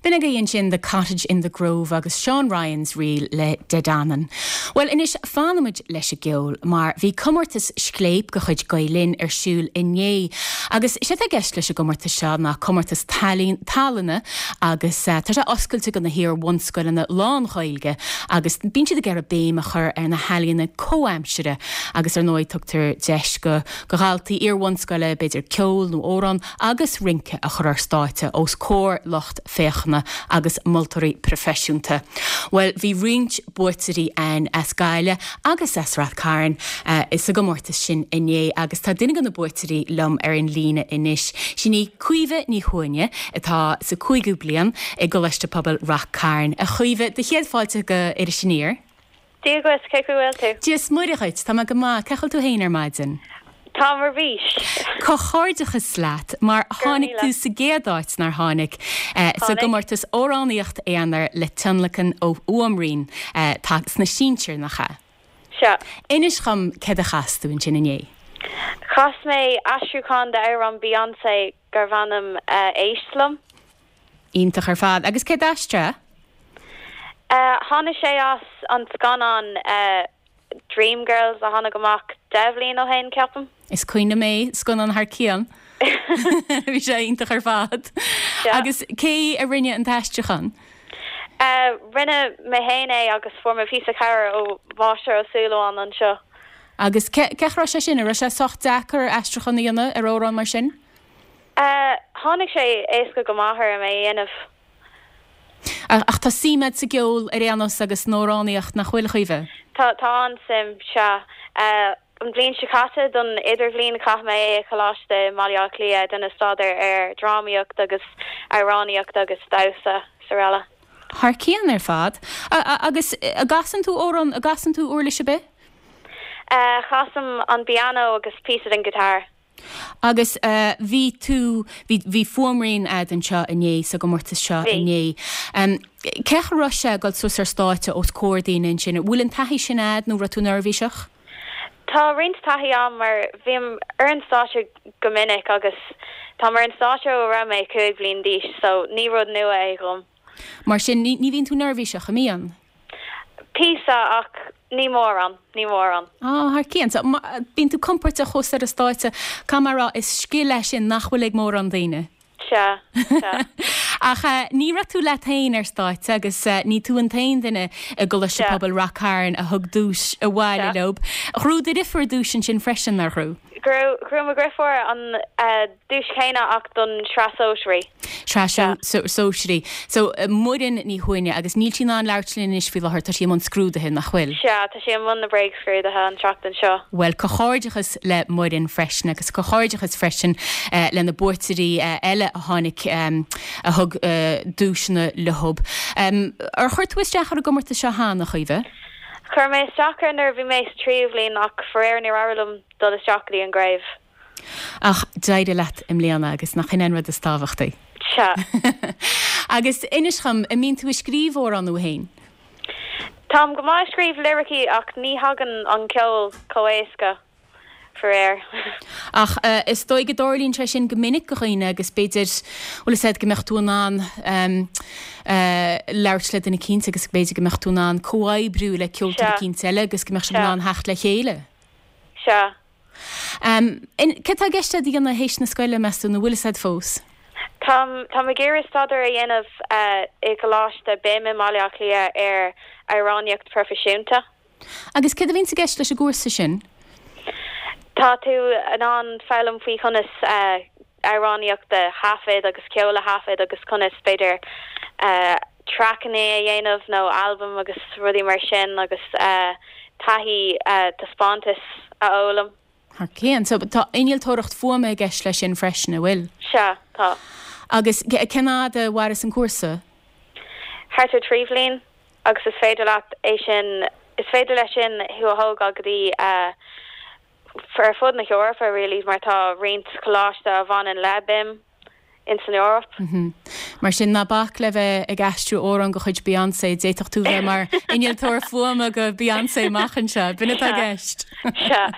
B'in agaibh ansin The Cottage in the Grove agus Seán Ryan's Reel le De Danann. Bhuel anois fanfaimid leis an gceol mar bhí comórtas Scléip de chuid Gael Linn ar siúl inné agus is é atá i gceist leis an gcomórtas seo ná comórtas tallainne agus tá sé oscailte do na hiar-bhunscoileanna lán-Ghaeilge agus bíonn siad ag iarraidh béim a chur ar na healaíona comhaimsire agus ar ndóigh tugtar deis go go dhaltaí iar-bhunscoile b'fhéidir ceol nó amhrán agus rince a chur ar stáitse os comhair lucht féachana. agus moltóirí proifisiúnta. Bhuel, bhí roinnt buaiteoirí ann as Gaillimh agus as Rath Cairn sa gcomórtas sin inné agus tá duine de na buaiteoirí liom ar an líne anois. Sin í Caoimhe Ní Chuaine atá sa cúigiú bliain i gColáiste Pobail Rath Cairn. A Chaoimhe, do chéad fáilte go Iris Aniar. Dia dhuit, cén chaoi a bhfuil tú? Dia is Muire dhuit, tá mé go maith, cén chaoi a bhfuil tú féin ar maidin? Táim ar bís. Comhghairdeachas leat, mar tháinig tú sa gcéad áit, nár tháinig, sa gcomórtas Amhránaíocht Aonair le tionlacan ó Fhuaimrian sna sinsir, nach ea? Sea. Inis dhom céard a chas tú ansin inné? Chas mé aistriúchán d'amhrán Beyoncé gurbh ainm Éist Liom. Iontach ar fad. Agus cé d'aistrigh é? Tháinig sé as an scannán Dreamgirls a tháinig amach 10 bhliain ó shin, ceapaim. Is cuimhin liom é, scannán thar cionn. Bhí sé iontach ar fad. Agus cé a rinne an t-aistriúchán? Rinne mé féin é agus fuair mé píosa cabhair ó Mháistir Ó Súilleabháin anseo. Agus cén chaoi a raibh sé sin? An raibh sé sách deacair aistriúchán a dhéanamh ar amhrán mar sin? Tháinig sé éasca go maith orm é a dhéanamh. Ach tá suim agat sa gceol ar aon nós agus san amhránaíocht, nach bhfuil, a Chaoimhe? Tá, tá an-suim, sea. An bhliain seo caite don idirbhliain chaith mé é i choláiste i mBaile Átha Cliath ag déanamh staidéar ar dhrámaíocht agus amhránaíocht agus damhsa is araile. Thar cionn ar fad. Agus an gcasann tú amhrán, an gcasann tú uirlis ar bith? Casaim an pianó agus píosa den guitar. Agus bhí tú, bhí, bhí fuaimrian a'd anseo inné, sa gcomórtas seo inné. Cén chaoi a raibh sé ag dul suas ar stáitse os comhair daoine ansin? Bhfuil an taithí sin a'd nó raibh tú neirbhíseach? Tá roinnt taithí a'm mar bhím ar an stáitse go minic agus táim ar an stáitse ó raibh mé 5 bhliain d'aois so ní rud nua é dhom. Mar sin, ní, ní bhíonn tú neirbhíseach, an mbíonn? Píosa, ach ní mórán, ní mórán. Á, thar cionn. So, bíonn tú compordach thuas ar an stáitse. Caithfidh mé a rá, is scil é sin nach bhfuil ag mórán daoine. Sea, sea. Ach ní raibh tú leat féin ar stáitse agus ní tú an t-aon duine i gColáiste Pobail Rath Cairn a thug duais abhaile leob. Ghnóthaigh do dhriofúr duais ansin freisin, nár ghnóthaigh? Ghnóthaigh mo dhriofúr an duais chéanna ach don tsraith sóisearaí. Sraith sóisearaí. So, Muireann Ní Chuaine, agus níl sí in ann labhairt linn anois faoi láthair, tá sí i mbun scrúduithe, nach bhfuil? Sea, tá sí i mbun na bréagscrúduithe an tseachtain seo. Bhuel, comhghairdeachas le Muireann freisin, agus comhghairdeachas freisin le na buaiteoirí eile a tháinig, a thug duaiseanna leob. Ar chuir tú isteach ar an gcomórtas seo cheana, a Chaoimhe? Chuir mé isteach air nuair a bhí mé sa tríú bhliain ach faraor níor éirigh liom dul isteach go dtí an gcraobh. Ach d'éirigh leat i mbliana agus nach in é an rud is tábhachtaí? Sea. Agus inis dhom, an mbíonn tú ag scríobh amhrán thú féin? Táim go maith ag scríobh liricí ach ní thagann an ceol chomh éasca, faraor. Ach is dóigh go dtarlaíonn sé sin go minic do dhaoine agus b'fhéidir, bhfuil fhios a'd, go mbeadh tú in ann labhairt le duine eicínt agus b'fhéidir go mbeadh tú in ann comhoibriú le ceoltóir eicínt eile agus go mbeadh sibh in ann theacht le chéile. Sea. Céard tá i gceist agat a dhéanamh théis na scoile, meas tú, nó bhfuil fhios a'd fós? Táim, táim ag iarraidh staidéar a dhéanamh i gColáiste BIMM i mBaile Átha Cliath ar amhránaíocht proifisiúnta. Agus céard a bhíonns i gceist leis an gcúrsa sin? Tá tú in ann foghlaim faoi chonas amhránaíocht a thaifead agus ceol a thaifead agus conas, b'fhéidir, traiceanna a dhéanamh nó albaim agus rudaí mar sin agus taithí taispeántais a fhoghlaim. Thar cionn. So tá innealtóireacht fuaime i gceist leis sin freisin, an bhfuil? Sea, tá. Agus cén fhad a mhaireas an cúrsa? Thart ar 3 bhliain agus is féidir leat é sin, is féidir leis sin thú a thógáil go dtí ar fud na hEorpa really mar tá roinnt coláiste a bhaineann le BIMM ins an Eoraip. Mar sin, ná bac le bheith ag aistriú amhrán de chuid Beyoncé, d'fhéadfadh tú bheith mar innealtóir fuaime do Beyoncé amach anseo. B'in atá i gceist. Sea.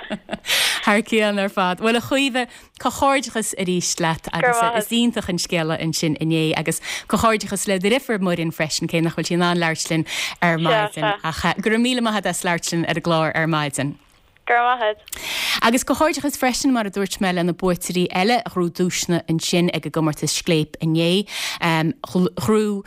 Thar cionn ar fad. Bhuel, a Chaoimhe, comhghairdeachas arís leat agus is iontach an scéala ansin inné agus comhghairdeachas le do dheirfiúr Muireann freisin, cé nach bhfuil sí in ann labhairt linn ar maidin. Ach go raibh míle maith agat as labhairt linn ar an gclár ar maidin. Go raibh maith agat. Agus comhghairdeachas freisin, mar a dúirt mé, le na buaiteoirí eile a ghnóthaigh duaiseanna ansin ag an gcomórtas Scléip inné. Ghnóthaigh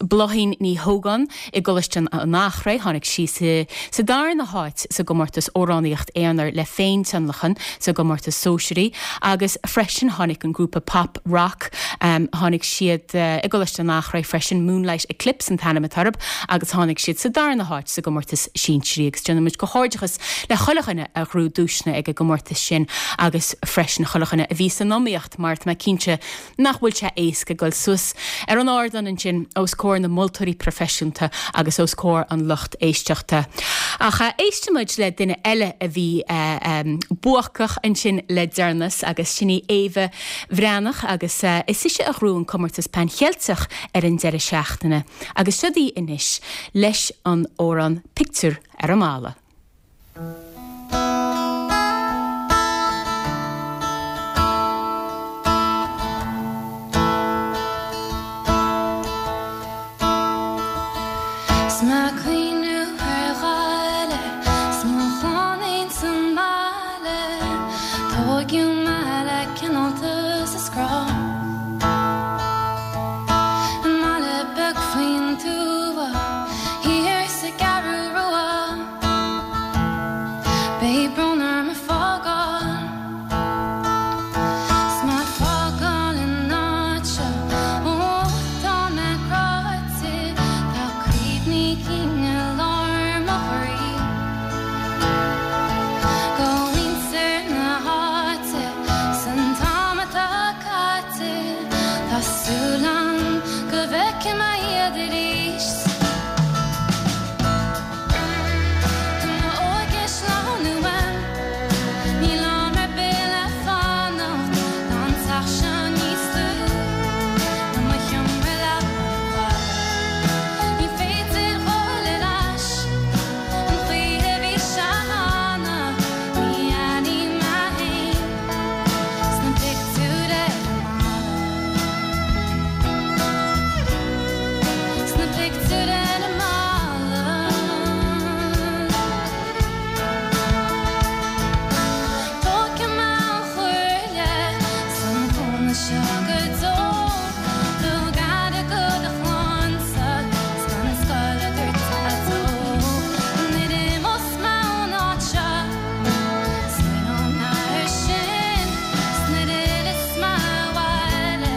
Bláithín Ní Hógáin i gColáiste an Eachréidh, tháinig sí sa darna háit sa gcomórtas Amhránaíocht Aonair le Féintionlacan sa gcomórtas Sóisearaí agus freisin tháinig an grúpa pop rock, tháinig siad i gColáiste an Eachréidh freisin, Moonlight Eclipse an t-ainm atá orthu agus tháinig siad sa darna háit sa gcomórtas Sinsearaí agus déanaimid comhghairdeachas le chuile dhuine a ghnóthaigh duaiseanna ag an gcomórtas sin agus freisin chuile dhuine a bhí san iomaíocht mar tá mé cinnte nach bhfuil sé éasca dul suas ar an ardán ansin os comhair na moltóirí proifisiúnta agus os comhair an lucht éisteachta. Ach éistfimid le duine eile a bhí buacach ansin le deireanas agus sin í Éabha Bhreathnach agus is ise a ghnóthaigh an comórtas Pan Cheilteach ar an deireadh seachtaine agus siod í anois leis an amhrán Pictiúr ar an mBalla. 'S mé ag cuimhniú ar Ghaillimh 's mo chlann ins an mbaile Tóigeadh mé le cineáltas is grá I mbaile beag faoin tuath thiar sa gCeathrú Rua Beidh brón orm ag fágáil 'S mé ag fágáil an áit seo Ó tá mé cráite Tá cuimhní cinn i lár mo chroí Go mhuintir na háite 'S an t-am atá caite Tá súil a'm go bhfeicfidh mé iad arís. Tá m'óige ag sleamhnú uaim, níl am ar bith le fanacht, tá an teach seo níos lú ná mo sheomra leapa ar fad. Ní féidir dhul ar ais an chaoi a bhí sé cheana, ní aithním mé féin sna pictiúir ar an mballa. Sna pictiúir ar an mballa. Tógfaidh mé an chomhairle 's an cúnamh seo go deo. Tabhair aire do do chlannsa 's gan scoil a dúirt Daideo. Nuair a imeos mé ón áit seo smaoineoidh mé air sin 's nuair a fhilleas mé abhaile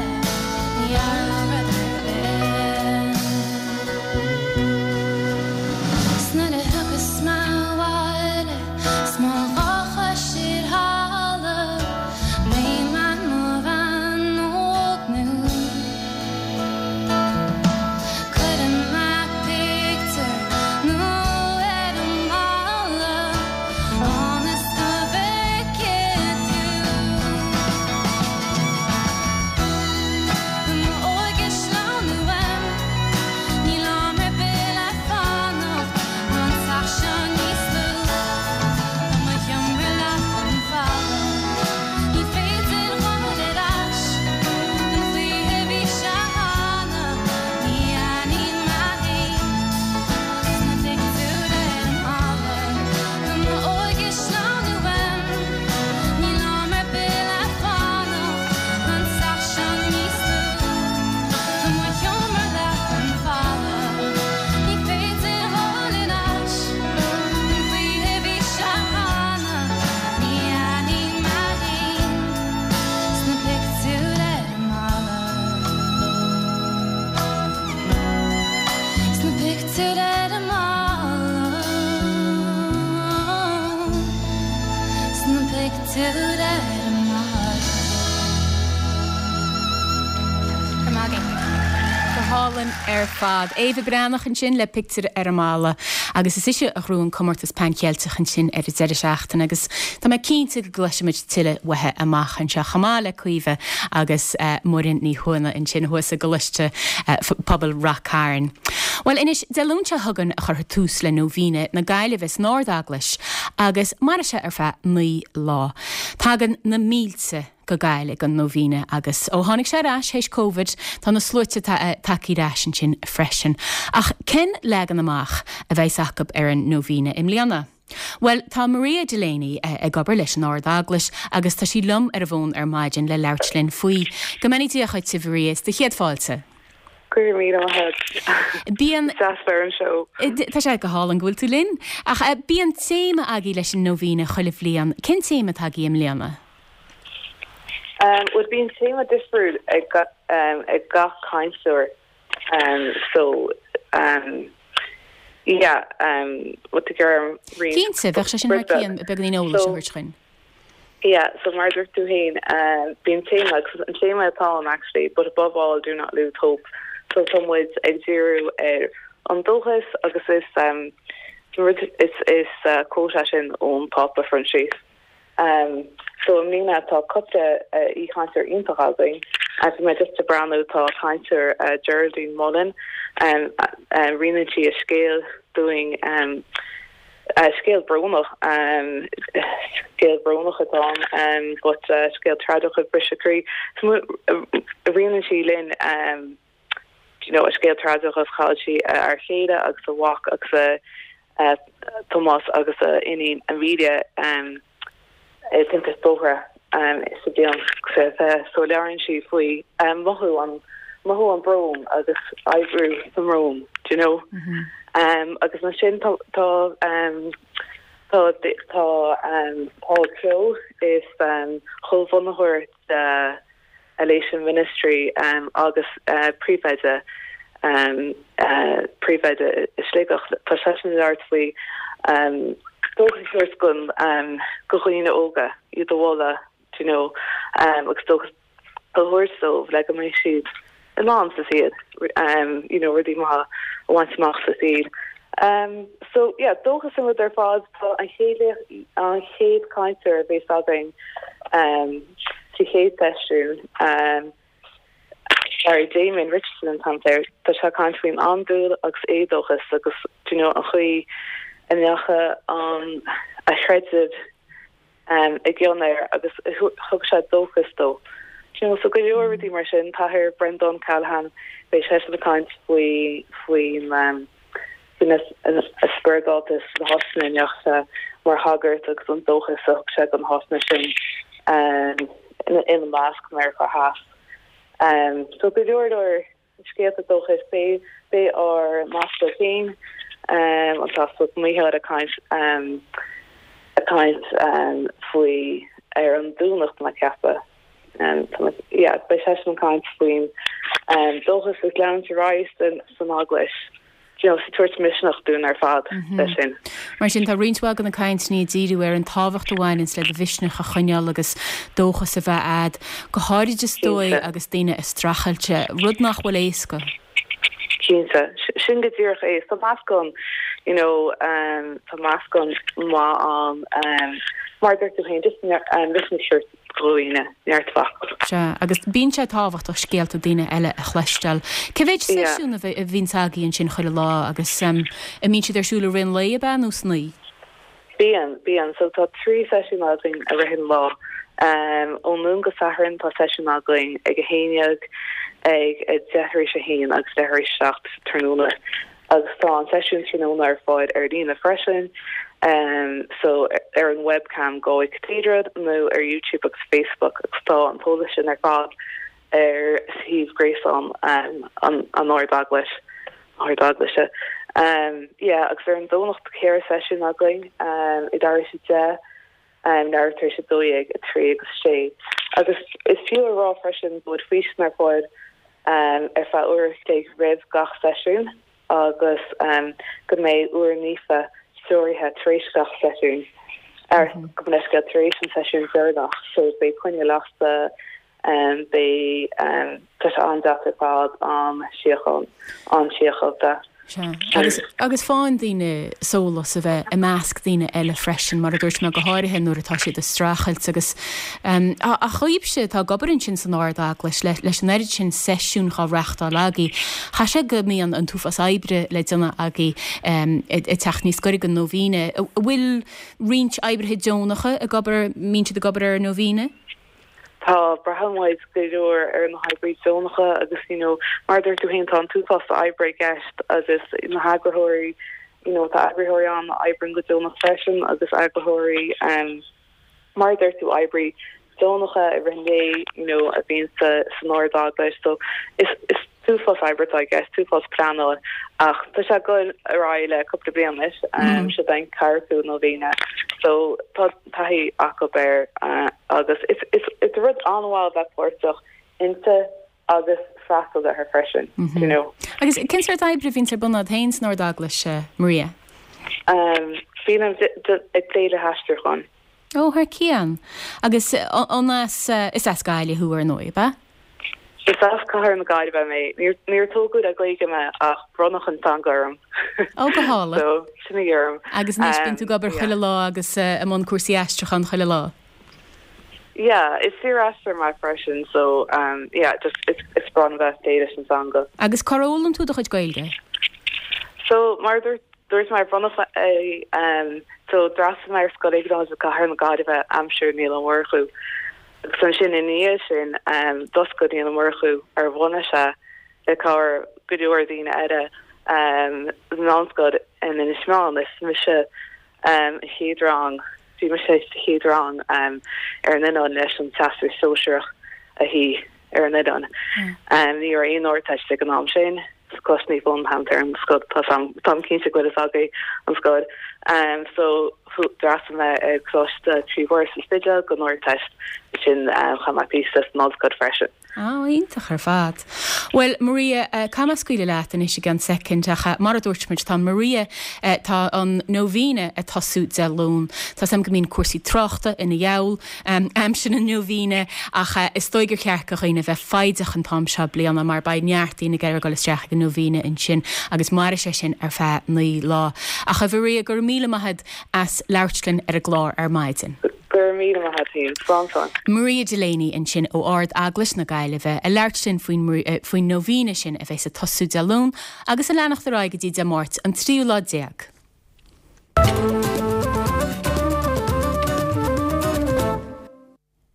ní athróidh rud ar bith. 'S nuair a thiocfas mé abhaile 's mo dhá chois ar thalamh beidh mé i mo bhean óg nua. Cuirfidh mé pictiúr nua ar an mballa ionas go bhfeicfidh tú. M'óige ag sleamhnú uaim, níl am ar bith le fanacht, tá an teach seo níos lú ná mo sheomra leapa an falla. Ní féidir dhul ar ais an chaoi a bhí sé cheana, ní aithním mé féin sna pictiúir ar an mballa. Tá m'óige ag sleamhnú uaim, níl am ar bith le fanacht, tá an teach seo níos lú ná mo sheomra leapa an falla. Ní féidir dhul ar ais an chaoi a bhí sé cheana, ní aithním mé féin sna pictiúir ar an mballa. Sna pictiúir ar an mballa. Sna pictiúir ar an mballa. Go raibh maith agaibh. Go hálainn ar fad. Éabha Breathnach ansin le Pictiúr ar an mBalla agus is ise a ghnóthaigh an comórtas Pan Cheilteach ansin ar an deireadh seachtaine agus tá mé cinnte go gcloisfimid tuilleadh uaithi amach anseo chomh maith le Caoimhe agus Muireann Ní Thuama ansin thuas i gColáiste Pobail Rath Cairn. Bhuel anois, Dé Luain seo chugainn a chuirfear tús le Nóibhéine na Gaillimhe san Ard-Eaglais agus mairfidh sé ar feadh 9 lá. Tagann na mílte go Gaillimh don Nóibhéine agus ó tháinig sé ar ais théis Covid tá na sluaite tagtha ar ais ansin freisin. Ach cén leagan amach a bheas acu ar an Nóibhéine i mbliana? Bhuel, tá Maria Delaney ag obair leis an Ard-Eaglais agus tá sí liom ar an bhfón ar maidin le labhairt linn faoi. Go mbeannaí Dia dhuit, a Mharia, is do chéad fáilte. Go raibh míle maith agat. Bíonn. Is deas bheith ar an seó. Tá sé go hálainn go bhfuil tú linn. Ach bíonn téama agaibh leis an Nóibhíne chuile bhliain. Cén téama atá agaibh i mbliana? Bhuel, bíonn téama difriúil ag gach cainteoir. So yeah, bhfuil tú ag iarraidh roinnt. Cinnte, bheadh sé sin thar cionn beagáinín eolais a thabhairt dhuinn. Yeah, so mar a dúirt tú féin, bíonn téama agus an téama atá ann actually, but above all do not lose hope. So tá muid ag díriú ar an dóchas agus is rud is is quote é sin ón Pápa Proinsias. So i mbliana tá cúpla aoichainteoir iontach againn. Bhí mé just ag breathnú, tá cainteoir Geraldine Mullen, roinneann sí a scéal dúinn, scéal brónach, scéal brónach atá ann but scéal tragaideach ag briseadh croí. So roinneann sí linn you know a scéal tragaideach agus chaill sí a fhear chéile agus a mhac agus a Tomás agus a iníon Amelia i dtimpiste bóthair sa bhliain 2020. So labhraíonn sí faoi mothú an mothú an brón agus oibriú sa mbrón, do you know. Agus ansin tá tá tá tá Paul Kehoe is comhbhunaitheoir de Elation Ministry agus príomhoide príomhoide i Sligeach. Tá seisean ag labhairt faoi dóchas a thabhairt don do dhaoine óga, iad a mholadh do you know agus dóchas a thabhairt dóibh le go mbeidh siad in ann sa saol you know rudaí maithe a bhaint amach sa saol. So yeah, dóchas an rud ar fad. Tá an chéad an chéad cainteoir a bheas againn sa chéad seisiún, sorry, Damien Richardson an t-ainm air, tá sé ag caint faoin andúil agus éadóchas agus do you know an chaoi a ndeachaigh an a chreideamh i gcion air agus thug sé dóchas dó. Do you know, so go leor rudaí mar sin. An tAthair Breandán Callaghan, beidh seisean ag caint faoi faoin faoina spioradáltas sna háiteanna a ndeachaigh sé mar shagart agus an dóchas a thug sé do na háiteanna sin ina measc Meiriceá Theas. So go leor leor scéalta dóchais. Beidh beidh ár n-aspal féin, an tAspal Mícheál ag caint ag caint faoi ar an Domhnach tá mé ag ceapadh. Yeah, beidh seisean ag caint faoin dóchas agus leanúint ar aghaidh san Eaglais. you know, tabhairt misneach dúinn ar fad leis sin. Mar sin, tá roinnt mhaith de na cainteanna ag díriú ar an tábhacht a bhaineanns le do mhisneach a choinneáil agus dóchas a bheith a'd, go háirid is dóigh agus daoine ag streachailt, rud nach bhfuil éasca. Cinnte. Sin go díreach é. Tá meascán, you know, tá meascán maith ann, mar a dúirt tú féin, just misneach a thabhairt do dhaoine, neart focal. Sea, agus bíonn sé tábhachtach scéalta daoine eile a chloisteáil. Cé mhéid seisiún a bhíonns agaibh ansin chuile lá agus an mbíonn siad ar siúl i rith an lae, ab ea, nó san oíche? Bíonn, bíonn. So tá 3 seisiún againn i rith an lá. Ón Luan go Satharn tá seisiún againn ag 11, ag 1/10 tar éis 1 agus leathuair tar éis 7 tráthnóna. Agus tá an seisiún tráthnóna ar fáil ar líne freisin, so ar an webcam Galway Cathedral nó ar YouTube agus Facebook agus tá an t-eolas sin ar fad ar shuíomh gréasáin an Ard-Eaglais, Ard-Eaglaise. Yeah, agus ar an Domhnach tá 4 seisiún againn, i tar éis 10, leathuair tar éis 12, 3 agus 6. Agus is fiú a rá freisin go bhfuil físean ar fáil ar feadh uair a chloig roimh gach seisiún agus go mbeidh uair naofa stiúraithe tar éis gach seisiún, ar gabh mo leithscéal, tar éis an seisiún deireanach. So beidh coinneal lasta, beidh, tá sé an-deas ar fad, an-síochán, an-síochánta. Sea. Agus, agus faigheann daoine sólás a bheith i measc daoine eile freisin, mar a dúirt mé, go háirithe nuair atá siad ag streachailt agus, ach dhaoibhse atá ag obair ansin san Ard-Eaglais, le, leis an oiread sin seisiún dhá reachtáil agaibh, chaithfidh sé go mbíonn an t-uafás oibre le déanamh agaibh ag teacht níos gaire don Nóibhíne. An bhfuil roinnt oibrithe deonacha ag obair, mbíonn siad ag obair ar an Nóibhíne? Tá, braitheann muid go leor ar na hoibrithe deonacha agus you know mar a dúirt tú féin tá an t-uafás oibre i gceist agus na heagarthóirí. you know tá eagraitheoirí ann a oibríonn go deonach freisin agus eagraitheoirí um mar a deir tú oibrí deonacha i rith an lae you know a bhíonn sa san Ard-Eaglais so is is t-uafás oibre atá i gceist, t-uafás pleanáil ach tá sé ag dul ar aghaidh le cúpla bliain anois um seo é an ceathrú nóibhéine so tá taithí acu air uh agus is is is rud an-mhaith a bheith páirteach inti agus freastal uirthi freisin, do you know. Agus cén sórt oibre a bhíonns ar bun agat féin san Ard-Eaglais, Maria? Bím ag plé le haistriúchán. Ó, thar cionn. Agus an as, is as Gaillimh thú, ar ndóigh, ab ea? Is as cathair na Gaillimhe mé. Níor tógadh le Gaeilge mé ach bronnadh an teanga orm. Ó, go hálainn. So, sin í orm. Agus anois bíonn tú ag obair chuile lá agus i mbun cúrsaí aistriúcháin chuile lá? Yeah, is saoraistritheoir mé freisin so um yeah just it's it's breá liom bheith ag plé leis an teanga. Agus cár fhoghlaim tú do chuid Gaeilge? So mar a dúirt dúirt mé bronnadh é um so d'fhreastail mé ar Scoil Iognáid i gCathair na Gaillimhe aimsir Niall Ó Murchú agus ansin ina dhiaidh sin um d'oscail Niall Ó Murchú ar bhunaigh sé le cabhair go leor daoine eile um meánscoil in Inis Meáin is mise um an chéad rang Bhí mise sa chéad rang ar an oileán leis an Teastas Sóisearach a shuí ar an oileán. Ní raibh aon Ardteist ag an am sin. Coláiste Naomh Eoin an t-ainm ar an scoil, táim cinnte go bhfuil fhios agaibh an scoil. So d'fhreastail mé ar Coláiste Croí Mhuire sa Spidéal don Ardteist, ansin chaith mé píosa san ollscoil freisin. Á, iontach ar fad. Bhuel, Maria, caithfidh mé scaoileadh leat anois i gceann soicind, ach mar a dúirt muid, tá Maria, tá an Nóibhíne ag tosú Dé Luain. Tá 's agam go mbíonn cúrsaí tráchta ina gheall aimsir na Nóibhíne, ach is dóigh gur cheart do dhaoine bheith foighdeach an t-am seo bliana mar beidh neart daoine ag iarraidh dul isteach ag an Nóibhíne ansin agus mairfidh sé sin ar feadh 9 lá. Ach a Mharia, go raibh míle maith agat as labhairt linn ar an gclár ar maidin. Go raibh míle maith agat féin. Slán slán. Maria Delaney ansin ó Ard Eaglais na Gaillimhe ag labhairt linn faoin faoin nóibhíne sin a bheas ag tosú Dé Luain agus ag leanacht ar aghaidh go dtí Dé Máirt an tríú lá déag.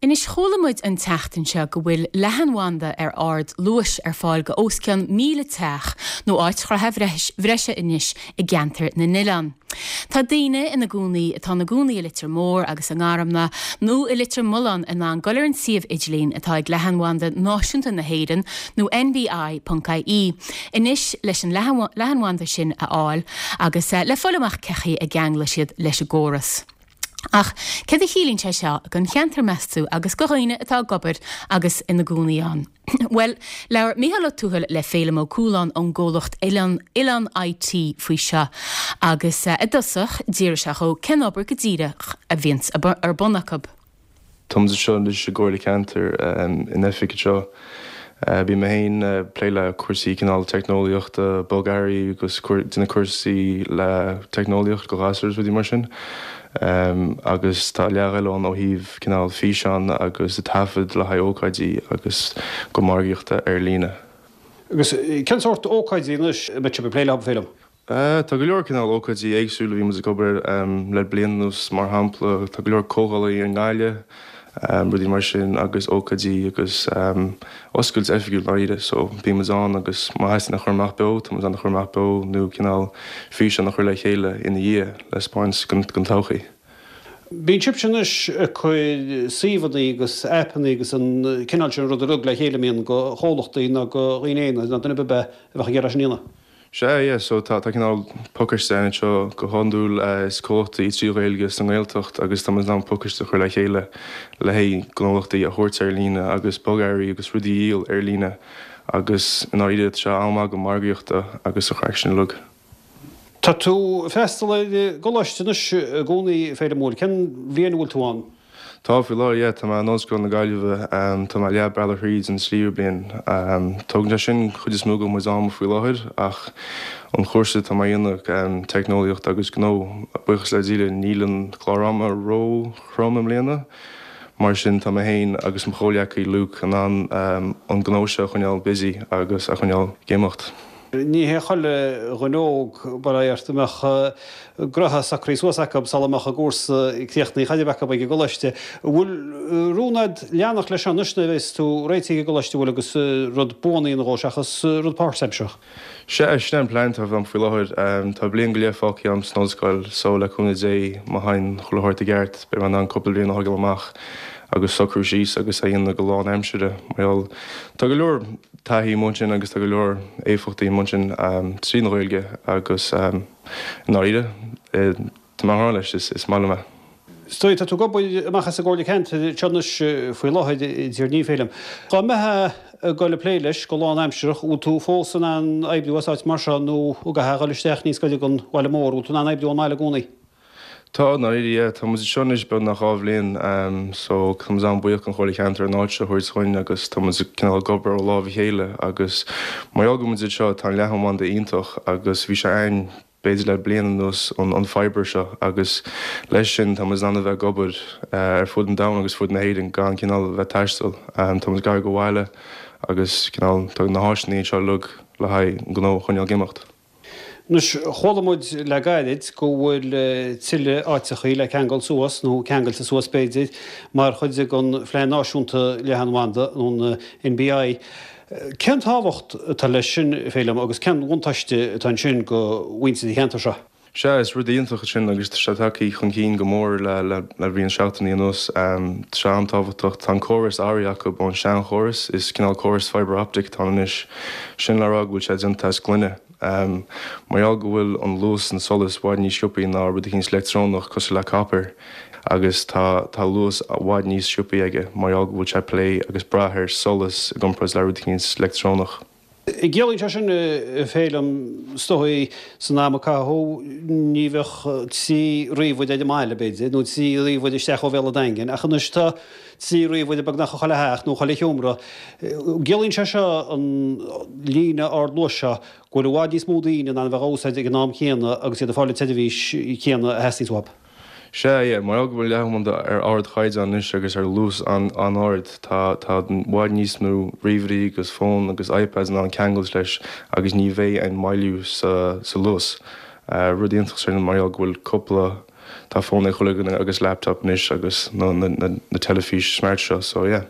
Anois chuala muid an tseachtain seo go bhfuil leathanbhanda ar ard luais ar fáil go os cionn 1,000 teach nó áit chruthaitheach bhreise anois i gCeantar na nOileán. Tá daoine ina gcónaí atá ina gcónaí i Leitir Móir agus i nGarmna nó i Leitir Mealláin in ann dul ar an suíomh idirlín atá ag Leathanbhanda Náisiúnta na hÉireann nó nbi.ie anois leis an leathanbhanda sin a fháil agus le fáil amach cén chaoi a gceanglóidh siad leis an gcóras. Ach céard a chiallaíonn sé seo don cheantar meas tú agus do dhaoine atá ag obair agus ina gcónaí ann? Bhuel, labhair Mícheál Ó Tuathail le Féilim Ó Cualáin ón gcomhlacht Oileán Oileán IT faoi seo agus i dtosach d'fhiafraigh sé dhó cén obair go díreach a bhíonns ar bun acu. Táimid anseo anois i gComhairle Ceantair in oifig anseo. Bím mé féin ag plé le cúrsaí cineál teicneolaíochta, bogearraí agus déanamh cúrsaí le teicneolaíocht do ghasúir is rudaí mar sin. Agus tá leath eile ann ó thaobh cineál físeán agus taifead le haghaidh ócáidí agus go margaíochta ar líne. Agus cén sórt ócáidí anois a mbeidh sibh ag plé leo, Féilim? Tá go leor cineál ócáidí éagsúla a bhí muid ag obair air le bliain anuas, mar shampla tá go leor comhdhálaí i nGaillimh, rudaí mar sin agus ócáidí agus oscailt oifigiúil dáiríre so bíonn muid ann agus má theastaíonn a chur amach beo tá muid ann a chur amach beo nó cineál físeán a chur le chéile ina dhiaidh le 'spáint don todhchaí. Bíonn sibhse anois ag cur suíomhanna agus aipeanna agus an cineál sin rud uilig le chéile an mbíonn do chomhlachtaí nó do dhaoine aonair nó duine ar bith a bheadh ag iarraidh sin a dhéanamh. Sea, yeah, so tá, tá cineál pacáiste ann anseo go hiondúil is comhlachtaí trí Ghaeilge sa nGaeltacht agus tá muid in ann pacáiste a chur le chéile le haghaidh gnólachtaí a thabhairt ar líne agus bogearraí agus rudaí a dhíol ar líne agus i ndáiríre tá sé an-mhaith go margaíochta agus an chraic sin uilig. Tá tú ag freastal ar an gcoláiste anois i gcónaí, a Fhéilim, an bhfuil? Cén bhliain a bhfuil tú ann? Tá, faoi láthair, yeah. Tá mé in Ollscoil na Gaillimhe. Tá mé leath bealaigh thríd an tríú bliain. Tógann sé sin chuid is mó de mo chuid ama faoi láthair ach an chúrsa atá mé a dhéanamh, Teicneolaíocht agus Gnó, buíochas le Dia níl an clár ama ró-throm i mbliana. Mar sin tá mé féin agus mo chomhghleacaí Luke in ann an gnó seo a choinneáil busy agus a choinneáil ag imeacht. Ní hé chuile dhuine óg, bail ó Dhia ort, a mbeadh gnoithe socraithe suas acu sula mbeadh a gcúrsa críochnaithe chor ar bith acu ag an gcoláiste. An bhfuil rún a'd leanacht leis seo anois nuair a bheas tú réitithe ag an gcoláiste, an bhfuil, agus rud buan a dhéanamh dhó seachas rud páirtaimseartha? Sea, sin é an plean atá agam faoi láthair. Tá bliain go leith fágtha agam san ollscoil so le cúnamh Dé má théann chuile shórt i gceart beidh mé in ann cúpla bliain a thógáil amach agus socrú síos agus é a dhéanamh go lán-aimseartha mar gheall tá go leor taithí amuigh ansin agus tá go leor éifeachtaí amuigh ansin tríd an Ghaeilge agus i ndáiríre tá mé an-ghnáth leis, is maith liom é. Is dóigh, tá tú ag obair amach as an gComhairle Ceantair anseo anois faoi láthair, a Dhoirní, Féilim. Dá mbeifeá ag dul ag plé leis go lán-aimsearach, bhfuil tú fós in ann oibriú as áit mar seo nó an gcaithfeá a dhul isteach níos gaire don bhaile mór, bhfuil tú in ann oibriú ón mbaile i gcónaí? Tá, i ndáiríre, yeah. Tá muid anseo anois beagnach 2 bhliain so tá muid an-bhuíoch don Chomhairle Ceantair an áit seo a thabhairt dhúinn agus tá muid cineál ag obair ó láimh a chéile agus mar gheall go bhfuil muid anseo tá an leathanbhanda iontach agus bhí sé a'ainn b'fhéidir le bliain anuas an an fibre seo agus leis sin tá muid in ann a bheith ag obair ar fud an domhain agus fud na hÉireann gan cineál a bheith ag taisteal. Tá muid gar go bhaile agus cineál tá na háiseanna anseo uilig le haghaidh an gnó a choinneáil ag imeacht. Anois, chuala muid le gairid go bhfuil tuilleadh áiteachaí le ceangal suas, nó ceangailte suas b'fhéidir, mar chuid den Phlean Náisiúnta Leathanbhanda, nó an NBI. Cén tábhacht atá leis sin, Féilim, agus cén bhuntáiste atá ansin do mhuintir an cheantair seo? Sea, is rud iontach é sin agus tá sé tagtha chun cinn go mór le roinnt seachtainí anuas. Tá sé an-tábhachtach. Tá an córas athraithe acu ón seanchóras, is cineál córas fibre optic atá ann anois. Sin le rá go bhfuil sé déanta as gloine. Mar gheall go bhfuil an luas an tsolais i bhfad níos sciobthaí ná rud eicínt leictreonach cosúil le copper agus tá tá luas i bhfad níos sciobthaí aige mar gheall go bhfuil sé ag plé agus brath ar solas i gcomparáid le rud eicínt leictreonach. Ciallaíonn sé sin, a Fhéilim, is dóigh, san am a caitheadh, ní bheadh 3 ríomhaire ar an mbaile, b'fhéidir, nó 3 ríomhaire isteach ó bhéal an Daingin, ach anois tá 3 ríomhaire beagnach i chuile theach nó chuile sheomra. Ciallaíonn sé seo, an líne ardluais seo, go bhfuil i bhfad níos mó daoine in ann a bheith á úsáid ag an am céanna agus iad ag fáil an tseirbhís chéanna a theastaíonns uathu. Sea, yeah, mar gheall go bhfuil leathanbhanda ar ardchaighdeán anois agus ar luas an-ard, tá, tá i bhfad níos mó ríomhairí agus fón agus iPads in ann ceangailt leis agus ní bheidh aon moilliú sa, sa luas. Rud iontach sin mar gheall go bhfuil cúpla, tá fón ag chuile dhuine agus laptop anois agus na, na, na, na teilifís smart seo, so yeah.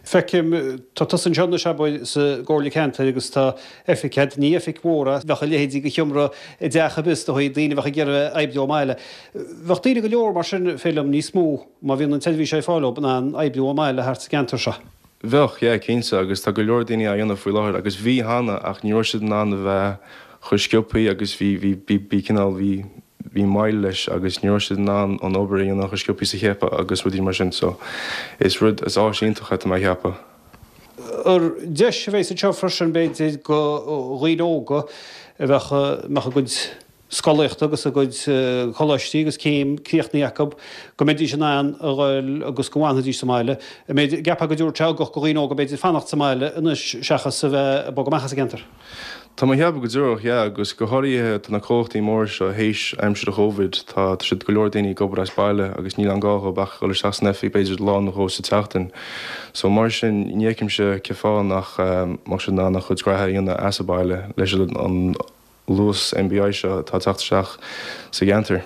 Feicim, tá tusa anseo anois, abair, sa gComhairle Ceantair agus tá oifig agat, ní oifig mhór é, bheadh a leithéidí de sheomra i dteach ar bith, is dóigh, daoine a bheadh ag iarraidh oibriú ón mbaile. Bheadh daoine go leor mar sin, Féilim, níos mó, má bhíonn an tseirbhís ar fáil dóibh, in ann oibriú ón mbaile thart sa gceantar seo. Bheadh, yeah, cinnte, agus tá go leor daoine á dhéanamh faoi láthair, agus bhí cheana, ach ní raibh siad in ann a bheith chomh sciobthaí agus bhí, bhí, bhí, bhí cineál, bhí, bhí moill leis agus ní raibh siad in ann an obair a dhéanamh chomh sciobthaí is a cheapfá agus rudaí mar sin so is rud, is áis iontach é tá mé a cheapadh. Ar deis a bheas anseo freisin b'fhéidir do dhaoine óga a bheadh, a mbeadh a gcuid scolaíochta agus a gcuid coláistí agus céim críochnaithe acu go mbeidís in ann a dhul agus go bhfanfaidís sa mbaile. An mbeidh, gceapfá go dtabharfadh sé ugach do dhaoine óga b'fhéidir fanacht sa mbaile anois seachas a bheith ag bogadh amach as an gceantar. Tá mé a cheapadh go dtabharfadh, yeah, agus go háirithe tá na comhlachtaí móra seo théis aimsir an Chovid, tá siad go leor daoine ag obair as baile agus níl aon gá dhóibh ach dhul isteach san oifig b'fhéidir lá nó dhó sa tseachtain. So mar sin ní fheicimse cén fáth nach mbeadh siad in ann a chuid graithe a dhéanamh as an baile leis an luas NBI seo atá ag teacht isteach sa gceantar.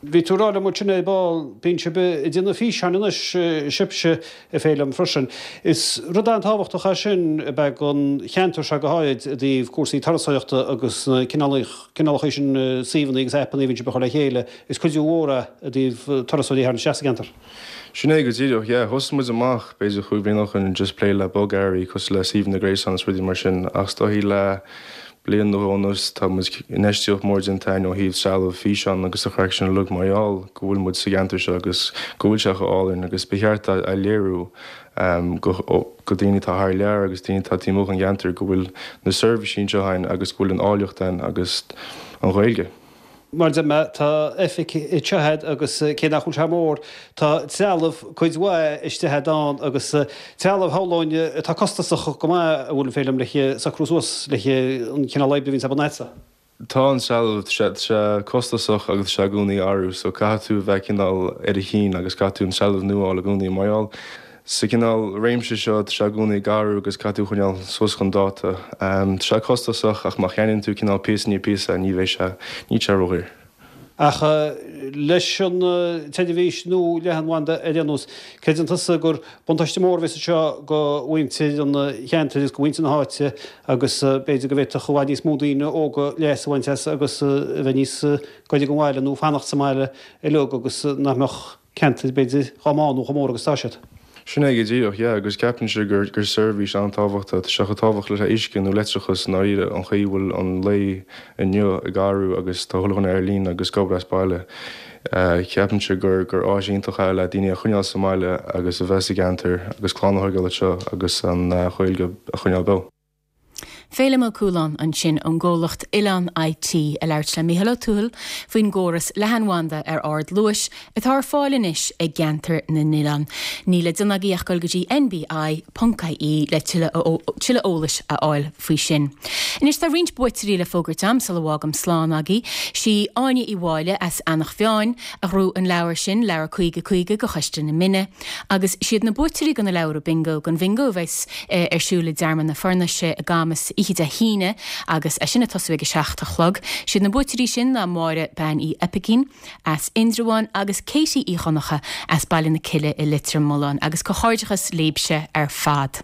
Bhí tú ag rá liom ansin ar ball, bíonn sibh ag déanamh físeáin anois, sibhse, a Fhéilim, freisin. Is rud an-tábhachtach é sin ab ea don cheantar seo go háirid i dtaobh cúrsaí turasóireachta agus na cineálacha sin suíomhanna agus aipeanna a bhíonn sibh a chur le chéile. Is cuidiú mhór é i dtaobh turasóirí a tharraingt isteach sa gceantar. Sin é go díreach, yeah. Thosaigh muid amach b'fhéidir chúig bhliain ó shin just plé le bogearraí cosúil le suíomhanna gréasáin is rudaí mar sin ach is dóichí le Bliain nó dhó anuas tá muid, infheistíocht mór déanta againn ó thaobh trealamh físeán agus an chraic sin uilig mar gheall go bhfuil muid sa gceantar seo agus go bhfuil sé chomh álainn agus ba cheart a léiriú go go daoine atá thar lear agus daoine atá taobh amuigh den gceantar go bhfuil na seirbhísí anseo againn agus go bhfuil an áilleacht ann agus an Ghaeilge. Mar a deir mé, tá oifig anseo agat agus cé nach bhfuil sé mór, tá trealamh cuid mhaith istigh agat ann agus trealamh shamhlóinn atá costasach go maith an bhfuil Féilim le socrú suas le an cineál oibre a bhíonns ar bun agatsa. Tá an trealamh, tá sé costasach agus tá sé i gcónaí ag athrú so caithfidh tú a bheith cineál ar a chinn agus caithfidh tú an trealamh nua a fháil i gcónaí mar gheall. Sa chineál réimse seo, tá sé i gcónaí ag athrú agus caithfidh tú coinneáil suas chun dáta. Tá sé costasach ach má cheannaíonn tú cineál píosa i ndiaidh píosa ní bheidh sé, níl sé ródhaor. Ach leis an tseirbhís nua leathanbhanda ar aon nós, creideann tusa gur buntáiste mór a bheas anseo do mhuintir an cheantair agus do mhuintir na háite agus b'fhéidir go bhféadfadh i bhfad níos mó daoine óga leas a bhaint as agus a bheith níos gaire don bhaile nó fanacht sa mbaile uilig agus nach mbeadh ceantair, b'fhéidir, dhá mbánú chomh mór agus atá siad. Sin é go díreach, yeah, agus ceapaimse gur gur seirbhís an-tábhachtach, tá sé chomh tábhachtach le uisce nó leictreachas i ndáiríre, an chaoi a bhfuil an lae inniu ag athrú agus tá chuile dhuine ar líne agus ag obair as baile, ceapaimse gur gur áis iontach é le daoine a choinneáil sa mbaile agus a bheith sa gceantar agus clann a thógáil anseo agus an Ghaeilge a choinneáil beo. Féilim Ó Cualáin ansin ón gcomhlacht Oileán IT ag labhairt le Mícheál Ó Tuathail faoin gcóras leathanbhanda ar ard luais atá ar fáil anois i gCeantar na nOileán. Níl le déanamh agaibh ach dul go dtí nbi.ie le tuilleadh eolais a fháil faoi sin. Anois tá roinnt buaiteoirí le fógairt a'm sula bhfágaim slán agaibh. Sí Áine Uí Mháille as Eanach Mheáin a ghnóthaigh an leabhar sin, Leabhar 50 50 go Choiste na Mine. Agus siad na buaiteoirí go na leabhra bingo, don bhingo a bheas ar siúl i dTearmann na Fornaise i gCamus oíche Dé hAoine agus é sin ag tosú ag a 7 a chlog. Siad na buaiteoirí sin ná Máire Bean Uí Oipicín as Indreabhán agus Katie Uí Dhonncha as Baile na Cille i Leitir Mealláin agus comhghairdeachas libhse ar fad.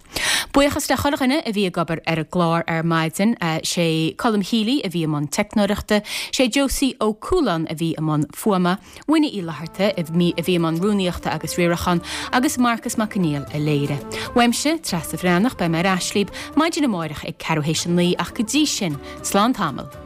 Buíochas le chuile dhuine a bhí ag obair ar an gclár ar maidin, sé Colm Healy a bhí i mbun teicneoireachta, sé Josie Ó Cualáin a bhí i mbun fuaime, Winnie Uí Fhlatharta a bhí i mbun rúnaíochta agus riaracháin agus Marcus Mac Conghail a léirigh. Uaimse, Treasa Bhreathnach, beidh mé ar ais libh maidin amárach ag ceathrú théis a 9 ach go dtí sin, slán tamall.